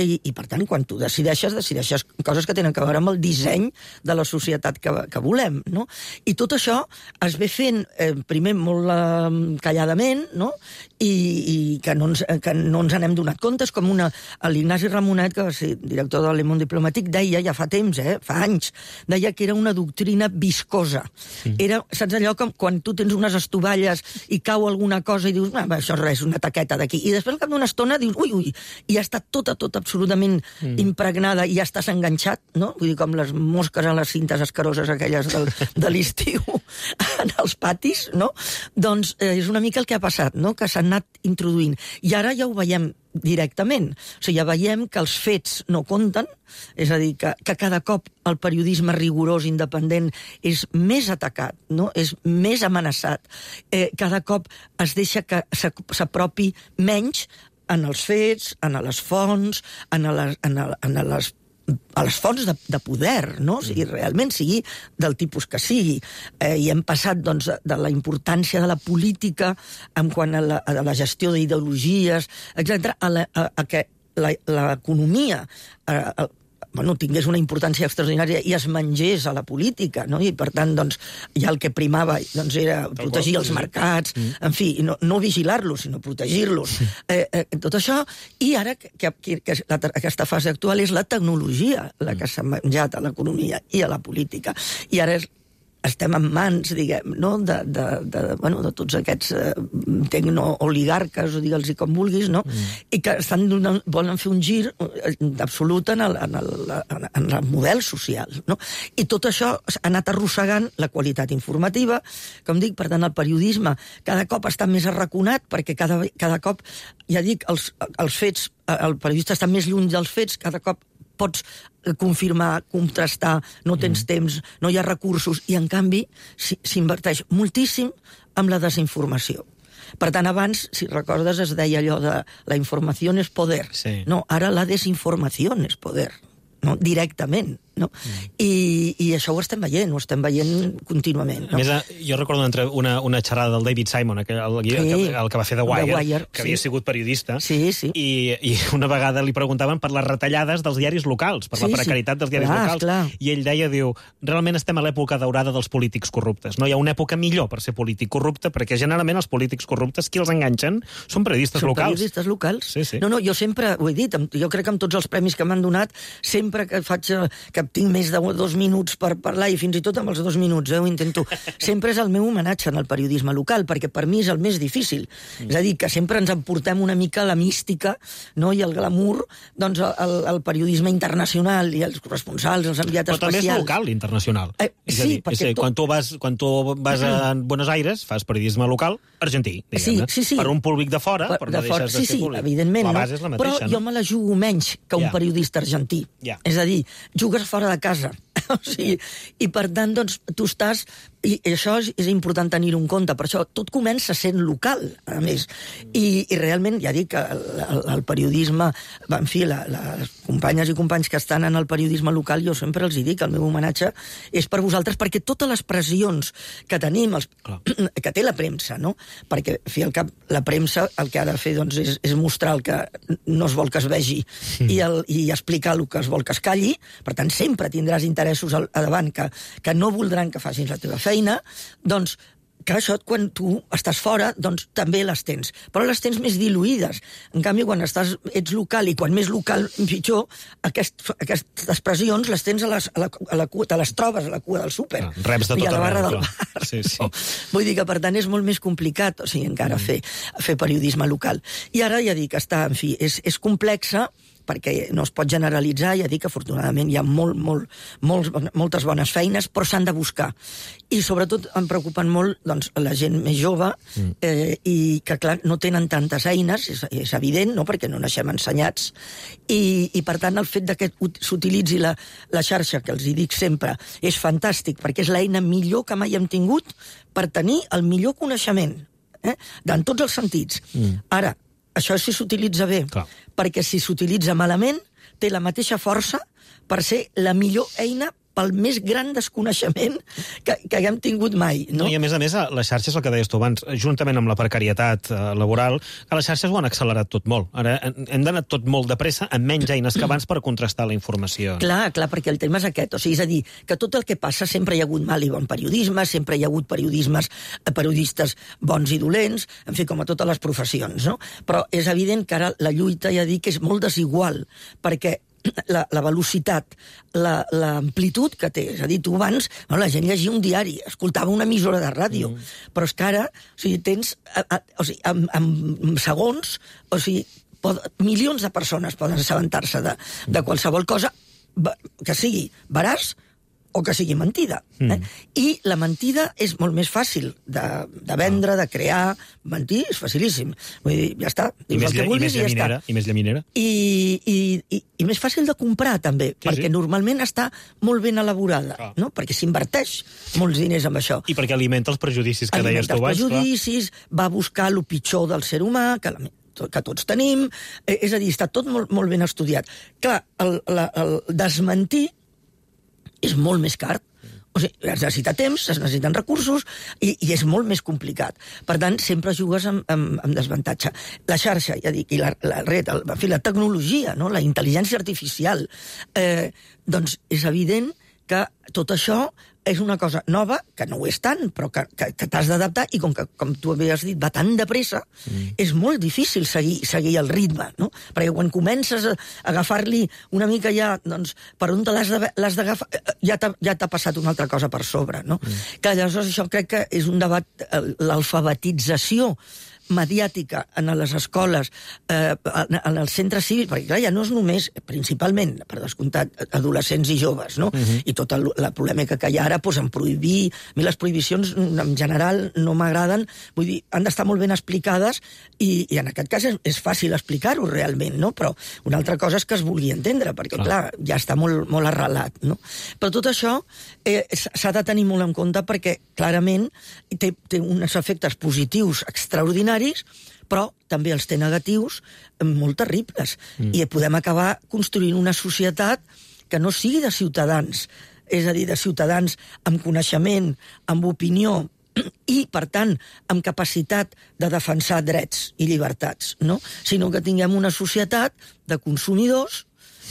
i, i, per tant, quan tu decideixes, decideixes coses que tenen a veure amb el disseny de la societat que, que volem, no? I tot això es ve fent, eh, primer, molt eh, calladament, no? I, i que, no ens, que no ens n'hem donat compte. És com una... L'Ignasi Ramonet, que va ser director de Le Monde Diplomàtic, deia, ja fa temps, eh, fa anys, deia que era una doctrina viscosa. Mm. Era, saps allò, com quan tu tens unes estovalles i cau alguna cosa i dius, ah, això és res, una taqueta d'aquí. I després, al cap d'una estona, dius, ui, ui, i ja està tota, tota absolutament mm. impregnada i ja estàs enganxat, no? Vull dir, com les mosques a les cintes escaroses aquelles del, de l'estiu en els patis, no? Doncs eh, és una mica el que ha passat, no? Que s'han anat introduint. I ara ja ho veiem directament. O sigui, ja veiem que els fets no compten, és a dir, que, que cada cop el periodisme rigorós, independent, és més atacat, no? És més amenaçat. Eh, cada cop es deixa que s'apropi menys en els fets, en les fonts, en les, en les, en les a les fonts de, de poder, no? O sigui, realment sigui del tipus que sigui. Eh, I hem passat doncs, de la importància de la política en quant a la, a la gestió d'ideologies, etcètera, a, la, a, a que l'economia eh, bueno, tingués una importància extraordinària i es mengés a la política, no? I per tant, doncs, ja el que primava doncs, era protegir els mercats, en fi, no, no vigilar-los, sinó protegir-los. Eh, eh, tot això, i ara que, que, que la, aquesta fase actual és la tecnologia la que s'ha menjat a l'economia i a la política. I ara és estem en mans, diguem, no? de, de, de, bueno, de tots aquests eh, tecno-oligarques, o digue'ls com vulguis, no? Mm. I que estan donant, volen fer un gir absolut en el, en el, en el model social, no? I tot això ha anat arrossegant la qualitat informativa, com dic, per tant, el periodisme cada cop està més arraconat, perquè cada, cada cop, ja dic, els, els fets, el periodista està més lluny dels fets, cada cop pots confirmar, contrastar, no tens mm. temps, no hi ha recursos, i en canvi s'inverteix moltíssim amb la desinformació. Per tant, abans, si recordes, es deia allò de la informació és poder. Sí. No, ara la desinformació és poder, no? Directament. No? Mm. I, I això ho estem veient, ho estem veient contínuament. No? A més, jo recordo una, una, una xerrada del David Simon, el, el, sí, el, el que va fer The Wire, The Wire que sí. havia sigut periodista, sí, sí. I, i una vegada li preguntaven per les retallades dels diaris locals, per sí, la precarietat sí. dels diaris clar, locals, clar. I ell deia, diu, realment estem a l'època daurada dels polítics corruptes. No hi ha una època millor per ser polític corrupte, perquè generalment els polítics corruptes, qui els enganxen, són periodistes són locals. Són periodistes locals. Sí, sí. No, no, jo sempre ho he dit, jo crec que amb tots els premis que m'han donat, sempre que faig, que tinc més de dos minuts per parlar, i fins i tot amb els dos minuts, eh, ho intento. Sempre és el meu homenatge en el periodisme local, perquè per mi és el més difícil. Mm. És a dir, que sempre ens emportem una mica la mística, no?, i el glamour, doncs el, el periodisme internacional i els corresponsals, els enviats especials. Però també és local, internacional. Eh, és sí, a dir, perquè... És a dir, quan tu vas, quan tu vas a Buenos Aires, fas periodisme local argentí, diguem-ne. Sí, sí, sí. Per un públic de fora, per, però no de deixes sí, de ser sí, públic. Evidentment, la no? base és la mateixa, però no? jo me la jugo menys que un yeah. periodista argentí. Yeah. És a dir, jugues fora de casa. O sigui, i per tant, doncs, tu estàs... I això és, és important tenir-ho en compte. Per això tot comença sent local, a més. I, i realment, ja dic que el, el, el periodisme... En fi, la, les companyes i companys que estan en el periodisme local, jo sempre els hi dic, el meu homenatge és per vosaltres, perquè totes les pressions que tenim, els, que té la premsa, no? Perquè, en fi, al cap, la premsa el que ha de fer doncs, és, és mostrar el que no es vol que es vegi mm. i, el, i explicar el que es vol que es calli. Per tant, sempre tindràs interessos al, a davant que, que no voldran que facis la teva feina, doncs que això, quan tu estàs fora, doncs també les tens. Però les tens més diluïdes. En canvi, quan estàs, ets local, i quan més local, pitjor, aquest, aquestes pressions les tens a les, a la, a la cua, te les trobes a la cua del súper. Ah, reps de tot i a la barra arreu, del bar. Sí, sí. No? Vull dir que, per tant, és molt més complicat, o sigui, encara mm. fer, fer periodisme local. I ara, ja dic, està, en fi, és, és complexa, perquè no es pot generalitzar, ja dic que afortunadament hi ha molt, molt, molts, moltes bones feines, però s'han de buscar. I sobretot em preocupen molt doncs, la gent més jove eh, i que, clar, no tenen tantes eines, és, és evident, no?, perquè no naixem ensenyats, i, i per tant el fet de que s'utilitzi la, la xarxa, que els hi dic sempre, és fantàstic, perquè és l'eina millor que mai hem tingut per tenir el millor coneixement, eh? en tots els sentits. Mm. Ara, això si s'utilitza bé, clar, perquè si s'utilitza malament, té la mateixa força per ser la millor eina pel més gran desconeixement que, que haguem tingut mai. No? No, I a més a més, les xarxes, el que deies tu abans, juntament amb la precarietat eh, laboral, que les xarxes ho han accelerat tot molt. Ara hem d'anar tot molt de pressa, amb menys eines que abans per contrastar la informació. Clar, clar, perquè el tema és aquest. O sigui, és a dir, que tot el que passa sempre hi ha hagut mal i bon periodisme, sempre hi ha hagut periodismes, periodistes bons i dolents, en fi, com a totes les professions, no? Però és evident que ara la lluita, ja dic, és molt desigual, perquè La, la velocitat, l'amplitud la, que té. És a dir, tu abans, no, la gent llegia un diari, escoltava una emissora de ràdio, mm. però és que ara, o sigui, tens, a, a, o sigui, en, en segons, o sigui, pod, milions de persones poden assabentar-se de, de qualsevol cosa que sigui veraç o que sigui mentida. Mm. Eh? I la mentida és molt més fàcil de, de vendre, de crear. Mentir és facilíssim. Vull dir, ja està. I més, que vulguis, i, més i, ja I més llaminera. I, i, i, I més fàcil de comprar, també, sí, perquè sí. normalment està molt ben elaborada, ah. no? Perquè s'inverteix molts diners amb això. I perquè alimenta els prejudicis que alimenta deies tu abans. Alimenta els prejudicis, clar. Va buscar el pitjor del ser humà, que la que tots tenim, eh, és a dir, està tot molt, molt ben estudiat. Clar, el, la, el desmentir és molt més car. O sigui, es necessita temps, es necessiten recursos i, i és molt més complicat. Per tant, sempre jugues amb, amb, amb desavantatge. La xarxa, ja dic, i la, la red, el, en fi, la tecnologia, no? La intel·ligència artificial, eh, doncs és evident que tot això és una cosa nova, que no ho és tant, però que, que, que t'has d'adaptar, i com que, com tu havies dit, va tan de pressa, mm. és molt difícil seguir, seguir el ritme, no? Perquè quan comences a agafar-li una mica ja, doncs, per on te l'has d'agafar, ja t'ha ja t'ha passat una altra cosa per sobre, no? Mm. Que llavors això crec que és un debat, l'alfabetització mediàtica en les escoles, eh, en els centres cívics, perquè clar, ja no és només, principalment, per descomptat, adolescents i joves, no? Uh-huh. I tota la polèmica que hi ha ara, doncs, en prohibir... A mi les prohibicions, en general, no m'agraden, vull dir, han d'estar molt ben explicades, i, i en aquest cas és, és fàcil explicar-ho realment, no? Però una altra cosa és que es vulgui entendre, perquè, clar, clar ja està molt, molt arrelat, no? Però tot això eh, s'ha de tenir molt en compte perquè, clarament, té, té uns efectes positius extraordinaris, però també els té negatius molt terribles. Mm. I podem acabar construint una societat que no sigui de ciutadans, és a dir, de ciutadans amb coneixement, amb opinió i, per tant, amb capacitat de defensar drets i llibertats, no? Sinó que tinguem una societat de consumidors,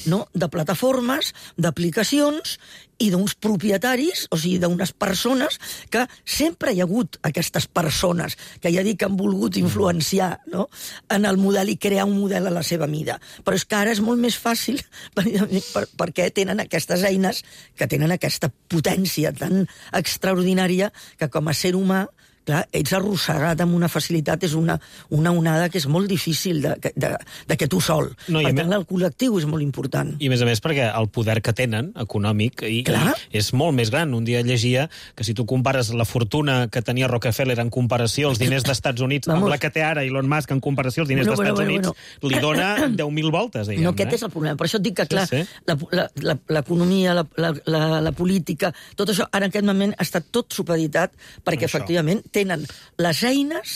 no? De plataformes, d'aplicacions i d'uns propietaris, o sigui, d'unes persones que sempre hi ha hagut aquestes persones que ja dic que han volgut influenciar, no? En el model i crear un model a la seva mida. Però és que ara és molt més fàcil per, per, perquè tenen aquestes eines que tenen aquesta potència tan extraordinària que com a ser humà clar, ets arrossegat amb una facilitat, és una, una onada que és molt difícil de, de, de que tu sol. No, per tant, el col·lectiu és molt important. I a més a més perquè el poder que tenen, econòmic, i, i és molt més gran. Un dia llegia que si tu compares la fortuna que tenia Rockefeller en comparació als diners d'Estats Units Vamos. amb la que té ara Elon Musk en comparació als diners bueno, d'Estats bueno, bueno, Units, bueno. li dona deu mil voltes, diguem. No, aquest eh? és el problema. Per això et dic que, clar, sí, sí. l'economia, la, la, la, la, la política, tot això, ara en aquest moment està tot supeditat perquè, això. efectivament, tenen les eines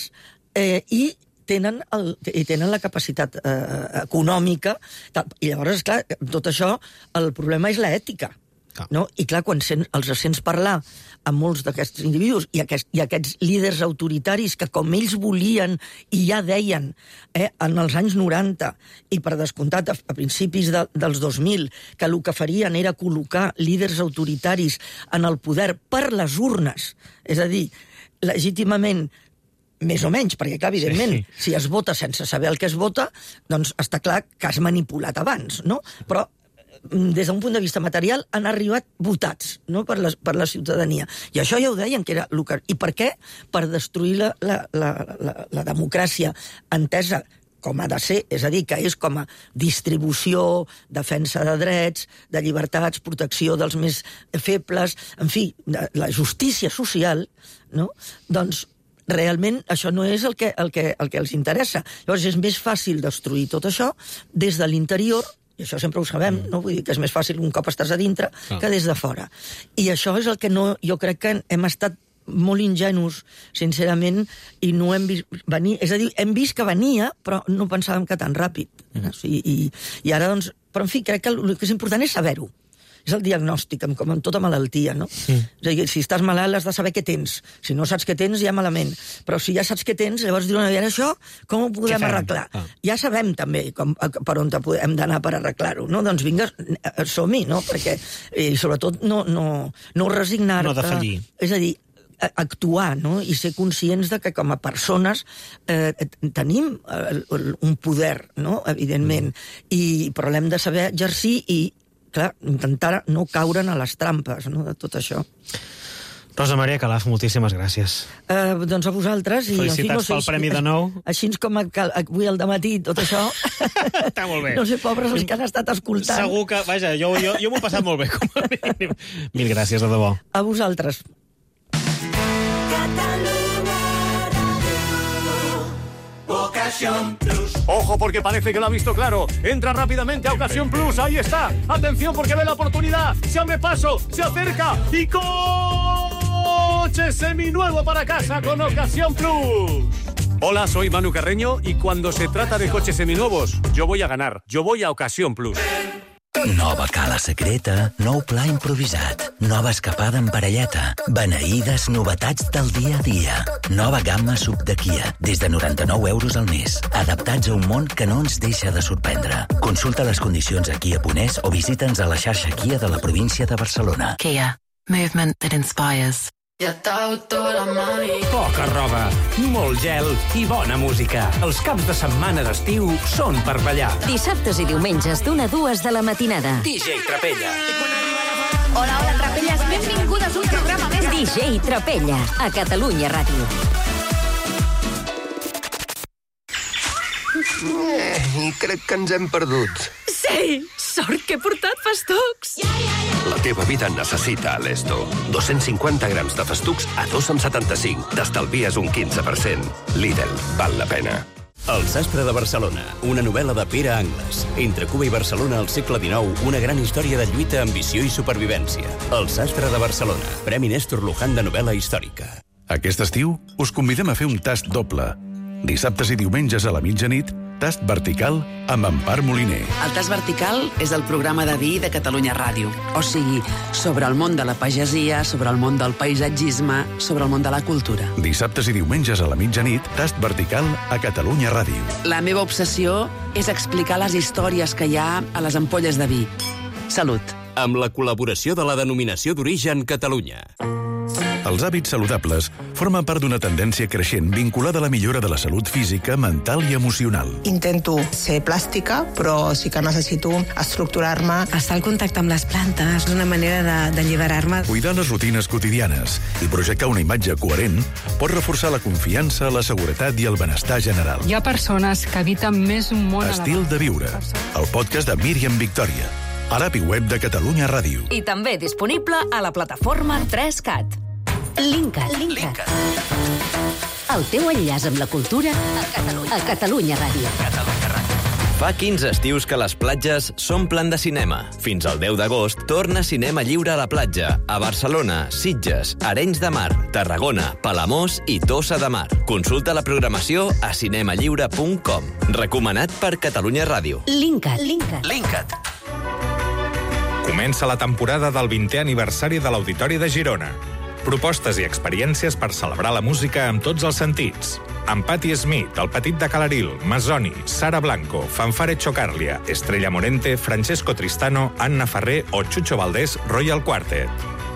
eh, i tenen, el, i tenen la capacitat eh, econòmica. I llavors, esclar, tot això, el problema és l'ètica. No? I clar, quan sent, els sents parlar amb molts d'aquests individus i, aquest, i aquests líders autoritaris que com ells volien i ja deien eh, en els anys noranta i per descomptat a, a principis de, dels dos mil que el que farien era col·locar líders autoritaris en el poder per les urnes, és a dir, legítimament més o menys, perquè, clar, evidentment, sí. si es vota sense saber el que es vota, doncs està clar que has manipulat abans, no? Però des d'un punt de vista material, han arribat votats, no?, per la, per la ciutadania. I això ja ho deien, que era... I per què? Per destruir la, la, la, la, la democràcia entesa com ha de ser, és a dir, que és com a distribució, defensa de drets, de llibertats, protecció dels més febles, en fi, de la justícia social, no? Doncs realment això no és el que, el que, el que els interessa. Llavors és més fàcil destruir tot això des de l'interior, i això sempre ho sabem, no? Vull dir que és més fàcil un cop estàs a dintre Ah. que des de fora. I això és el que no, jo crec que hem estat molt ingenus, sincerament, i no hem vist venir. És a dir, hem vist que venia, però no pensàvem que tan ràpid. Mm. O sigui, i, I ara, doncs... Però, en fi, crec que el que és important és saber-ho. És el diagnòstic, com amb tota malaltia, no? Mm. És a dir, si estàs malalt has de saber què tens. Si no saps què tens, ja malament. Però si ja saps què tens, llavors diuen, a veure, això, com ho podem arreglar? Ah. Ja sabem també com, per on hem d'anar per arreglar-ho, no? Doncs vinga, som-hi, no? Perquè, i sobretot, no, no, no resignar-te. No defallir. És a dir, actuar, no? I ser conscients de que com a persones eh, tenim eh, un poder, no? Evidentment, mm. I, però l'hem de saber exercir i, clar, intentar no caure a les trampes, no? De tot això. Rosa Maria Calaf, moltíssimes gràcies. Eh, doncs a vosaltres. I, felicitats en fi, no sé, pel premi de nou. Així com avui al dematí, tot això... Està molt bé. No sé, pobres els que han estat escoltant. Segur que, vaja, jo, jo, jo m'ho he passat molt bé, com a mínim. Mil gràcies, de debò. A vosaltres. Ocasión Plus. Ojo, porque parece que lo ha visto claro. Entra rápidamente a Ocasión Plus. Ahí está. Atención, porque ve la oportunidad. Se abre paso, se acerca y coche seminuevo para casa con Ocasión Plus. Hola, soy Manu Carreño y cuando se trata de coches seminuevos, yo voy a ganar. Yo voy a Ocasión Plus. Nova cala secreta, nou pla improvisat, nova escapada en parelleta, beneïdes novetats del dia a dia. Nova gamma sub de Kia, des de noranta-nou euros al mes, adaptats a un món que no ens deixa de sorprendre. Consulta les condicions a kia punt es o visita'ns a la xarxa Kia de la província de Barcelona. Kia. Movement that inspires. Poca roba, molt gel i bona música. Els caps de setmana d'estiu són per ballar. Dissabtes i diumenges d'una a dues de la matinada. D J Trapella. Hola, hola, Trapelles, benvingudes a un programa més. D J Trapella, a Catalunya Ràdio. Eh, I crec que ens hem perdut. Sí, sort que he portat festucs. La teva vida necessita Alesto. dos-cents cinquanta grams de festucs a dos coma setanta-cinc. T'estalvies un quinze per cent. Lidl, val la pena. El sastre de Barcelona, una novel·la de Pere Angles. Entre Cuba i Barcelona al segle dinou, una gran història de lluita, ambició i supervivència. El sastre de Barcelona, Premi Néstor Luján de novel·la històrica. Aquest estiu us convidem a fer un tast doble. Dissabtes i diumenges a la mitjanit, tast vertical amb Empar Moliner. El tast vertical és el programa de vi de Catalunya Ràdio. O sigui, sobre el món de la pagesia, sobre el món del paisatgisme, sobre el món de la cultura. Dissabtes i diumenges a la mitjanit, tast vertical a Catalunya Ràdio. La meva obsessió és explicar les històries que hi ha a les ampolles de vi. Salut. Amb la col·laboració de la Denominació d'Origen Catalunya. Els hàbits saludables formen part d'una tendència creixent vinculada a la millora de la salut física, mental i emocional. Intento ser plàstica, però sí que necessito estructurar-me. Estar al contacte amb les plantes és una manera d'alliberar-me. Cuidar les rutines quotidianes i projectar una imatge coherent pot reforçar la confiança, la seguretat i el benestar general. Hi ha persones que habiten més un món Estil de viure, el podcast de Míriam Victòria, a l'app i web de Catalunya Ràdio. I també disponible a la plataforma tres cat. Linkat. Linkat. El teu enllaç amb la cultura a Catalunya, a Catalunya Ràdio. Catalunya Ràdio. Fa quinze estius que les platges s'omplen de cinema. Fins al deu d'agost torna Cinema Lliure a la platja, a Barcelona, Sitges, Arenys de Mar, Tarragona, Palamós i Tossa de Mar. Consulta la programació a cinemalliure punt com. Recomanat per Catalunya Ràdio. Linkat. Linkat. Linkat. Comença la temporada del vintè aniversari de l'Auditori de Girona. Propostes i experiències per celebrar la música amb tots els sentits. Amb Patti Smith, El Petit de Calaril, Masoni, Sara Blanco, Fanfare Chocarlia, Estrella Morente, Francesco Tristano, Anna Ferrer o Chucho Valdés Royal Quartet.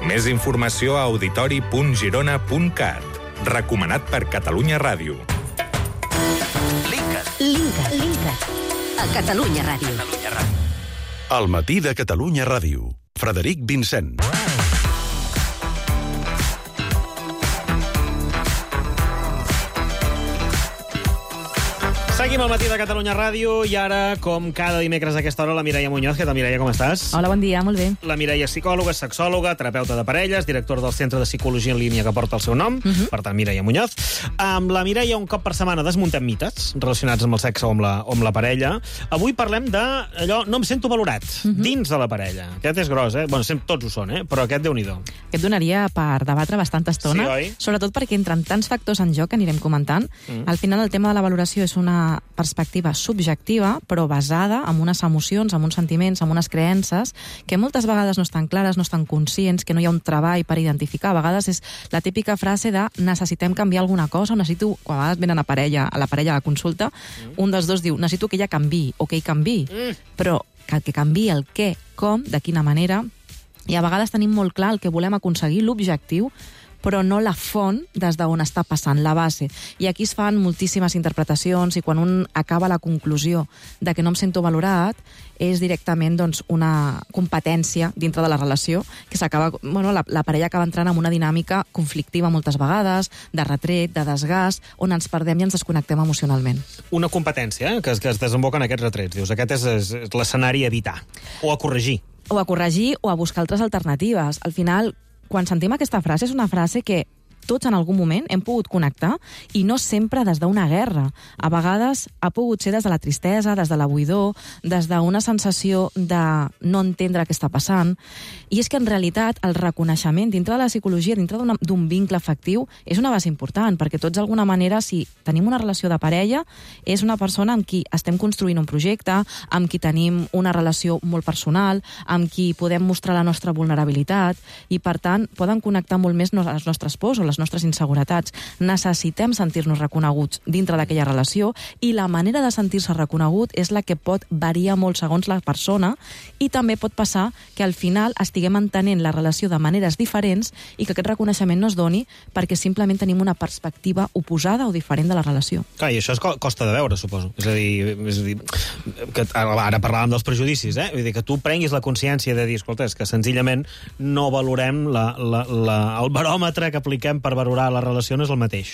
Més informació a auditori punt girona punt cat. Recomanat per Catalunya Ràdio. Linkat. Linkat. Linkat. A Catalunya Ràdio. Catalunya Ràdio. El matí de Catalunya Ràdio. Frederic Vincent. Seguim al matí de Catalunya Ràdio i ara, com cada dimecres a aquesta hora, la Mireia Muñoz. Què tal, Mireia, com estàs? Hola, bon dia, molt bé. La Mireia és psicòloga, sexòloga, terapeuta de parelles, directora del Centre de Psicologia en Línia que porta el seu nom, uh-huh. Per tant, Mireia Muñoz. Amb la Mireia, un cop per setmana, desmuntem mites relacionats amb el sexe o amb la, o amb la parella. Avui parlem de allò, no em sento valorat, uh-huh. dins de la parella. Aquest és gros, eh? Bueno, tots ho són, eh? Però aquest, Déu-n'hi-do. Aquest donaria per debatre bastanta estona, sí, oi? Sobretot perquè entren tants factors en joc que anirem comentant. Mm. Al final, el tema de la valoració és una perspectiva subjectiva, però basada en unes emocions, en uns sentiments, en unes creences, que moltes vegades no estan clares, no estan conscients, que no hi ha un treball per identificar. A vegades és la típica frase de necessitem canviar alguna cosa, o necessito, quan a vegades venen a, parella, a la parella a la consulta, mm. un dels dos diu, necessito que ella canviï, o que ell canviï, mm. però que el que canviï el què, com, de quina manera, i a vegades tenim molt clar el que volem aconseguir, l'objectiu, però no la font des d'on està passant, la base. I aquí es fan moltíssimes interpretacions i quan un acaba la conclusió de que no em sento valorat, és directament doncs, una competència dintre de la relació que s'acaba, bueno, la, la parella acaba entrant en una dinàmica conflictiva moltes vegades, de retret, de desgast, on ens perdem i ens desconnectem emocionalment. Una competència eh? que, es, que es desemboca en aquests retrets. Dius, aquest és, és l'escenari a evitar o a corregir. O a corregir o a buscar altres alternatives. Al final, quan sentim aquesta frase, és una frase que tots en algun moment hem pogut connectar i no sempre des d'una guerra. A vegades ha pogut ser des de la tristesa, des de la buidor, des d'una sensació de no entendre què està passant. I és que en realitat el reconeixement dintre de la psicologia, dintre d'un vincle afectiu, és una base important, perquè tots d'alguna manera, si tenim una relació de parella, és una persona amb qui estem construint un projecte, amb qui tenim una relació molt personal, amb qui podem mostrar la nostra vulnerabilitat i, per tant, poden connectar molt més les nostres pors o les nostres inseguretats. Necessitem sentir-nos reconeguts dintre d'aquella relació i la manera de sentir-se reconegut és la que pot variar molt segons la persona i també pot passar que al final estiguem entenent la relació de maneres diferents i que aquest reconeixement no es doni perquè simplement tenim una perspectiva oposada o diferent de la relació. Clar, i això es costa de veure, suposo. És a dir, és a dir que ara parlàvem dels prejudicis, eh? Vull dir, que tu prenguis la consciència de dir, escolta, és que senzillament no valorem la, la, la, el baròmetre que apliquem per valorar la relació no és el mateix.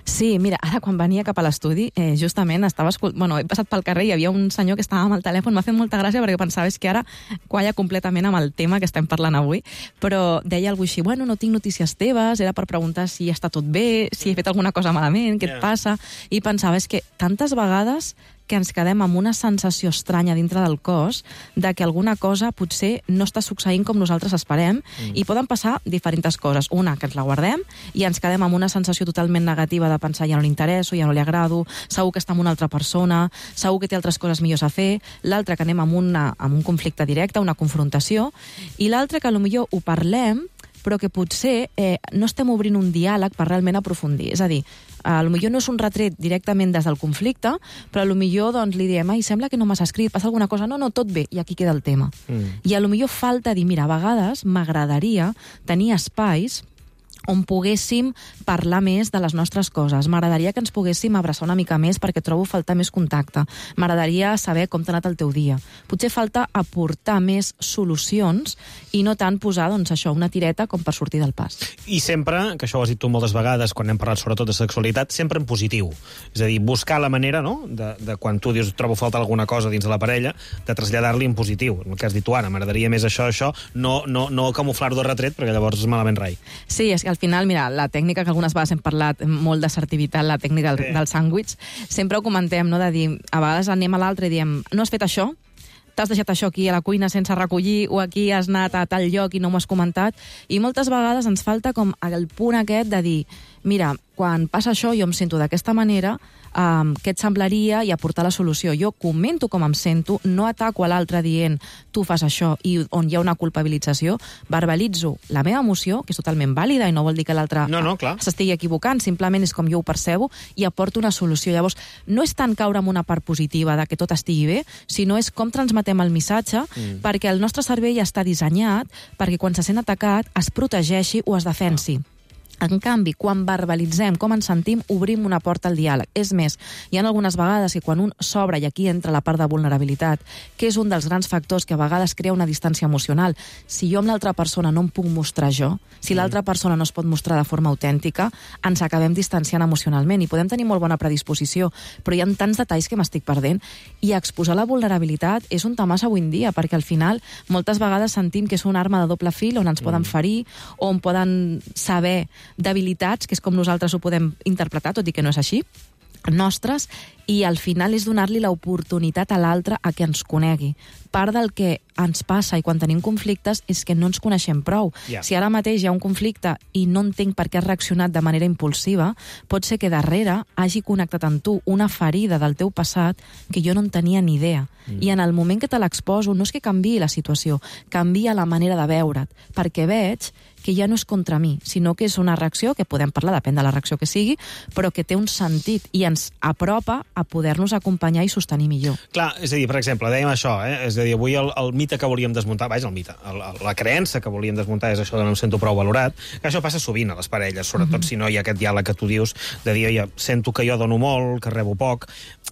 Sí, mira, ara quan venia cap a l'estudi, eh, justament estava escolt... bueno, he passat pel carrer i hi havia un senyor que estava amb el telèfon, m'ha fet molta gràcia perquè pensava és que ara qualla completament amb el tema que estem parlant avui, però deia alguna així, bueno, no tinc notícies teves, era per preguntar si està tot bé, si he fet alguna cosa malament, què yeah. et passa, i pensava, és que tantes vegades que ens quedem amb una sensació estranya dintre del cos de que alguna cosa potser no està succeint com nosaltres esperem mm. i poden passar diferents coses. Una, que ens la guardem i ens quedem amb una sensació totalment negativa de pensar ja no li interesso, ja no li agrado, segur que està amb una altra persona, segur que té altres coses millors a fer. L'altra, que anem amb, una, amb un conflicte directe, una confrontació. I l'altra, que potser ho parlem, però que potser eh, no estem obrint un diàleg per realment aprofundir. És a dir, a lo millor no és un retret directament des del conflicte, però a lo millor doncs, li diem, ai, sembla que no m'has escrit, passa alguna cosa, no, no, tot bé, i aquí queda el tema. Mm. I a lo millor falta dir, mira, a vegades m'agradaria tenir espais on poguéssim parlar més de les nostres coses. M'agradaria que ens poguéssim abraçar una mica més perquè trobo falta més contacte. M'agradaria saber com t'ha anat el teu dia. Potser falta aportar més solucions i no tant posar, doncs això, una tireta com per sortir del pas. I sempre, que això ho has dit tu moltes vegades quan hem parlat sobretot de sexualitat, sempre en positiu. És a dir, buscar la manera, no?, de, de quan tu dius trobo falta alguna cosa dins de la parella, de traslladar-li en positiu. El que has dit tu ara, m'agradaria més això, això, no, no, no camuflar-ho de retret, perquè llavors és malament rai. Sí, és que al final, mira, la tècnica que algunes vegades hem parlat molt d'assertivitat, la tècnica del, sí. del sàndwich, sempre ho comentem, no?, de dir, a vegades anem a l'altre i diem, no has fet això? T'has deixat això aquí a la cuina sense recollir o aquí has anat a tal lloc i no m'ho has comentat? I moltes vegades ens falta com el punt aquest de dir, mira, quan passa això jo em sento d'aquesta manera, um, què et semblaria i aportar la solució. Jo comento com em sento, no ataco a l'altre dient tu fas això i on hi ha una culpabilització, verbalitzo la meva emoció, que és totalment vàlida i no vol dir que l'altre no, no, s'estigui equivocant, simplement és com jo ho percebo i aporto una solució. Llavors, no és tant caure en una part positiva de que tot estigui bé, sinó és com transmetem el missatge mm. perquè el nostre cervell està dissenyat perquè quan se sent atacat es protegeixi o es defensi. En canvi, quan verbalitzem com ens sentim, obrim una porta al diàleg. És més, hi ha algunes vegades que quan un s'obre, i aquí entra la part de vulnerabilitat, que és un dels grans factors que a vegades crea una distància emocional. Si jo amb l'altra persona no em puc mostrar jo, si l'altra persona no es pot mostrar de forma autèntica, ens acabem distanciant emocionalment i podem tenir molt bona predisposició, però hi ha tants detalls que m'estic perdent, i exposar la vulnerabilitat és un tamàs avui en dia, perquè al final moltes vegades sentim que és una arma de doble fil on ens poden ferir, on poden saber d'habilitats, que és com nosaltres ho podem interpretar, tot i que no és així, nostres, i al final és donar-li l'oportunitat a l'altre a que ens conegui. Part del que ens passa i quan tenim conflictes és que no ens coneixem prou. Yeah. Si ara mateix hi ha un conflicte i no entenc per què has reaccionat de manera impulsiva, pot ser que darrere hagi connectat amb tu una ferida del teu passat que jo no en tenia ni idea. Mm. I en el moment que te l'exposo, no és que canviï la situació, canvia la manera de veure't, perquè veig que ja no és contra mi, sinó que és una reacció, que podem parlar, depèn de la reacció que sigui, però que té un sentit i ens apropa a poder-nos acompanyar i sostenir millor. Clar, és a dir, per exemple, dèiem això, eh? És a dir, avui el, el mite que volíem desmuntar, vaja, el mite, el, el, la creença que volíem desmuntar és això de no em sento prou valorat, que això passa sovint a les parelles, sobretot mm-hmm. si no hi ha aquest diàleg que tu dius, de dir, ja, sento que jo dono molt, que rebo poc,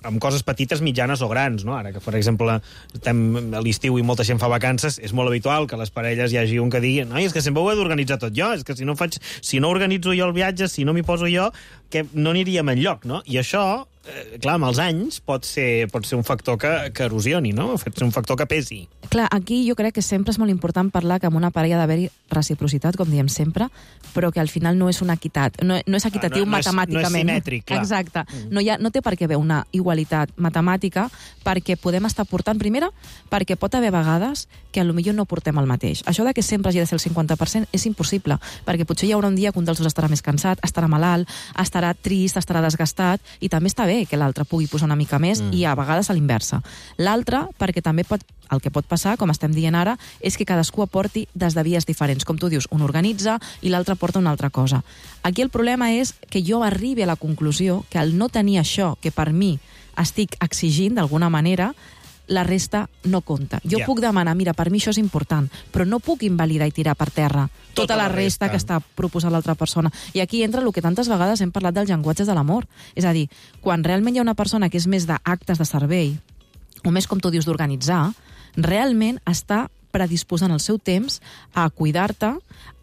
amb coses petites, mitjanes o grans, no? Ara que, per exemple, estem a l'estiu i molta gent fa vacances, és molt habitual que a les parelles hi hagi un que digui, no, és que sempre ho he d'organitzar tot jo, és que si no faig, si no organitzo jo el viatge, si no m'hi poso jo, que no aniríem enlloc, no? I això, eh, clar, amb els anys pot ser, pot ser un factor que, que erosioni, no? Pot ser un factor que pesi. Clar, aquí jo crec que sempre és molt important parlar que amb una parella ha d'haver-hi reciprocitat, com diem sempre, però que al final no és una equitat, no, no és equitatiu no, no matemàticament. És, no és simètric, clar. Exacte. Mm. No, hi ha, no té per què haver una igualitat matemàtica, perquè podem estar portant, primera, perquè pot haver vegades que potser no portem el mateix. Això de que sempre hagi de ser el cinquanta per cent és impossible, perquè potser hi haurà un dia que un dels dos estarà més cansat, estarà malalt, estarà trist, estarà desgastat, i també està bé que l'altre pugui posar una mica més, mm. i a vegades a l'inversa. L'altre, perquè també pot, el que pot passar, com estem dient ara, és que cadascú aporti des de vies diferents. Com tu dius, un organitza i l'altre porta una altra cosa. Aquí el problema és que jo arribi a la conclusió que al no tenir això que per mi estic exigint d'alguna manera, la resta no compta. Jo yeah. puc demanar, mira, per mi això és important, però no puc invalidar i tirar per terra tota, tota la, la resta, resta que està proposant l'altra persona. I aquí entra el que tantes vegades hem parlat dels llenguatges de l'amor. És a dir, quan realment hi ha una persona que és més d'actes de servei, o més, com tu dius, d'organitzar, realment està predisposant el seu temps a cuidar-te,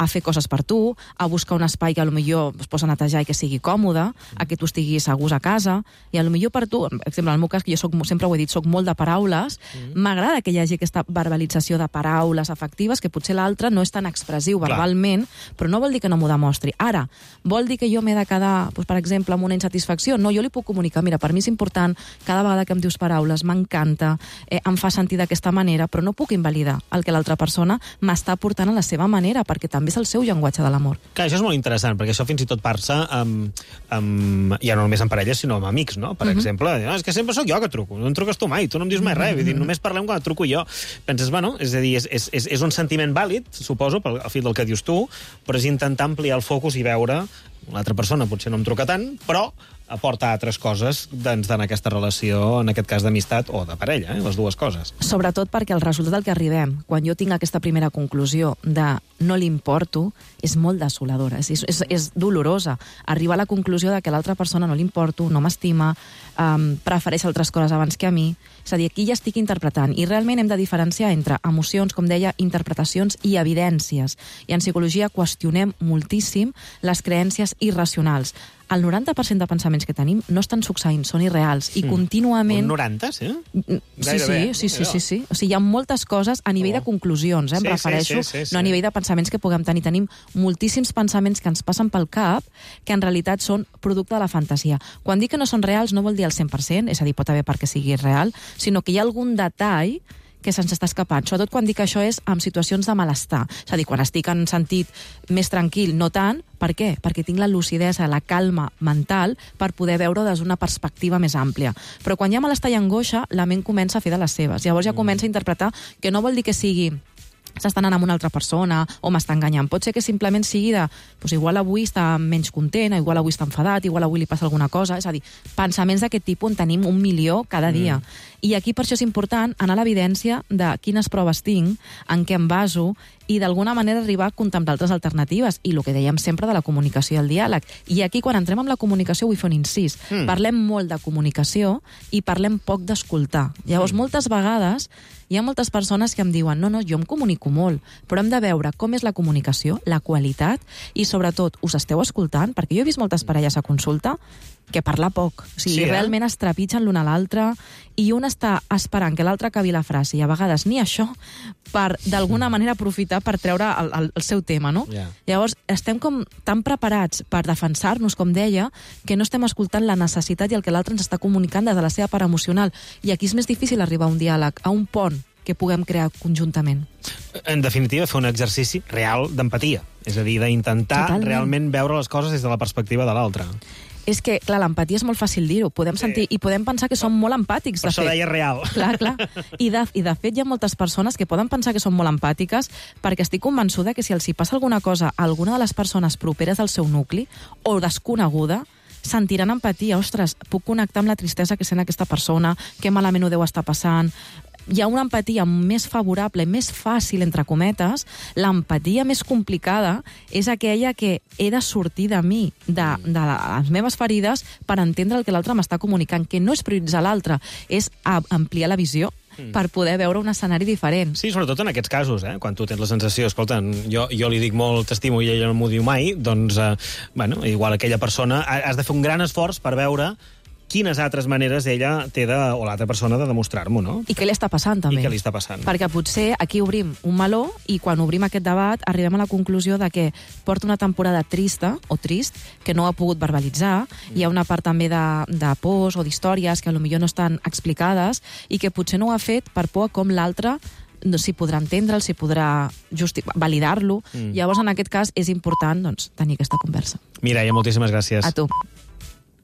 a fer coses per tu, a buscar un espai que potser es posa a netejar i que sigui còmode, a que tu estiguis a gust a casa, i potser per tu, per exemple, en el meu cas, que jo soc, sempre ho he dit, soc molt de paraules, m'agrada mm. que hi hagi aquesta verbalització de paraules afectives, que potser l'altre no és tan expressiu verbalment, Clar. Però no vol dir que no m'ho demostri. Ara, vol dir que jo m'he de quedar, doncs, per exemple, amb una insatisfacció? No, jo li puc comunicar, mira, per mi és important, cada vegada que em dius paraules, m'encanta, eh, em fa sentir d'aquesta manera, però no puc invalidar el que l'altra persona m'està portant a la seva manera, perquè també és el seu llenguatge de l'amor. Clar, això és molt interessant, perquè això fins i tot passa amb, amb, ja no només amb parelles, sinó amb amics, no? Per uh-huh. exemple, no, és que sempre sóc jo que truco, no em truques tu mai, tu no em dius mai res, vull dir, només parlem quan et truco jo. Penses, bueno, és a dir, és, és, és, és un sentiment vàlid, suposo, pel fil del que dius tu, però és intentar ampliar el focus i veure l'altra persona potser no em truca tant, però aporta altres coses doncs, en aquesta relació, en aquest cas d'amistat o de parella, eh? Les dues coses. Sobretot perquè el resultat al que arribem, quan jo tinc aquesta primera conclusió de no li importo, és molt desoladora, és, és, és dolorosa. Arribar a la conclusió de que l'altra persona no li importo, no m'estima, um, prefereix altres coses abans que a mi. És a dir, aquí ja estic interpretant, i realment hem de diferenciar entre emocions, com deia, interpretacions i evidències. I en psicologia qüestionem moltíssim les creences irracionals. El noranta per cent de pensaments que tenim no estan succeint, són irreals, i contínuament... Un noranta, sí? Sí, sí, sí, sí, sí, sí. O sigui, hi ha moltes coses a nivell oh. de conclusions, eh, em sí, refereixo, sí, sí, sí, sí. no a nivell de pensaments que puguem tenir. Tenim moltíssims pensaments que ens passen pel cap que en realitat són producte de la fantasia. Quan dic que no són reals no vol dir el cent per cent, és a dir, pot haver perquè sigui real, sinó que hi ha algun detall que se'ns està escapant, sobretot quan dic que això és en situacions de malestar. És a dir, quan estic en sentit més tranquil, no tant. Per què? Perquè tinc la lucidesa, la calma mental per poder veure des d'una perspectiva més àmplia. Però quan hi ha malestar i angoixa, la ment comença a fer de les seves. Llavors ja comença a interpretar que no vol dir que sigui s'està anant amb una altra persona o m'està enganyant. Pot ser que simplement sigui de doncs igual avui està menys content, igual avui està enfadat, igual avui li passa alguna cosa. És a dir, pensaments d'aquest tipus en tenim un milió cada dia. Mm. I aquí per això és important anar a l'evidència de quines proves tinc, en què em baso i d'alguna manera arribar a contemplar altres alternatives, i el que dèiem sempre de la comunicació i el diàleg. I aquí, quan entrem amb la comunicació, vull fer un incís. Mm. Parlem molt de comunicació i parlem poc d'escoltar. Llavors, mm. moltes vegades hi ha moltes persones que em diuen no, no, jo em comunico molt, però hem de veure com és la comunicació, la qualitat, i sobretot, us esteu escoltant? Perquè jo he vist moltes parelles a consulta que parla poc. O sigui, sí, eh? realment es trepitgen l'un a l'altre i un està esperant que l'altre acabi la frase, i a vegades ni això, per d'alguna manera aprofitar per treure el, el, el seu tema, no? Yeah. Llavors, estem com tan preparats per defensar-nos, com deia, que no estem escoltant la necessitat i el que l'altre ens està comunicant des de la seva part emocional. I aquí és més difícil arribar a un diàleg, a un pont que puguem crear conjuntament. En definitiva, fer un exercici real d'empatia. És a dir, d'intentar Totalment. realment veure les coses des de la perspectiva de l'altre. És que, clar, l'empatia és molt fàcil dir-ho. Podem sentir i podem pensar que som molt empàtics, de fet. Per això deia real. Clar, clar. I de, I de fet hi ha moltes persones que poden pensar que són molt empàtiques perquè estic convençuda que si els hi passa alguna cosa a alguna de les persones properes del seu nucli o desconeguda, sentiran empatia. Ostres, puc connectar amb la tristesa que sent aquesta persona, que malament ho deu estar passant. Hi ha una empatia més favorable, més fàcil, entre cometes. L'empatia més complicada és aquella que he de sortir de mi, de, de les meves ferides, per entendre el que l'altre m'està comunicant, que no és prioritzar l'altre, és ampliar la visió per poder veure un escenari diferent. Sí, sobretot en aquests casos, eh? Quan tu tens la sensació, escolta, jo, jo li dic molt t'estimo i ella no m'ho diu mai, doncs, eh, bueno, igual aquella persona, has de fer un gran esforç per veure quines altres maneres ella té de, o l'altra persona de demostrar-m'ho, no? I què li està passant, també. I què li està passant. Perquè potser aquí obrim un meló i quan obrim aquest debat arribem a la conclusió de que porta una temporada trista o trist que no ha pogut verbalitzar. Mm. Hi ha una part també de, de pors o d'històries que potser no estan explicades i que potser no ho ha fet per por a com l'altre no, si podrà entendre'l, si podrà validar-lo. Mm. Llavors, en aquest cas, és important doncs, tenir aquesta conversa. Mireia, moltíssimes gràcies. A tu.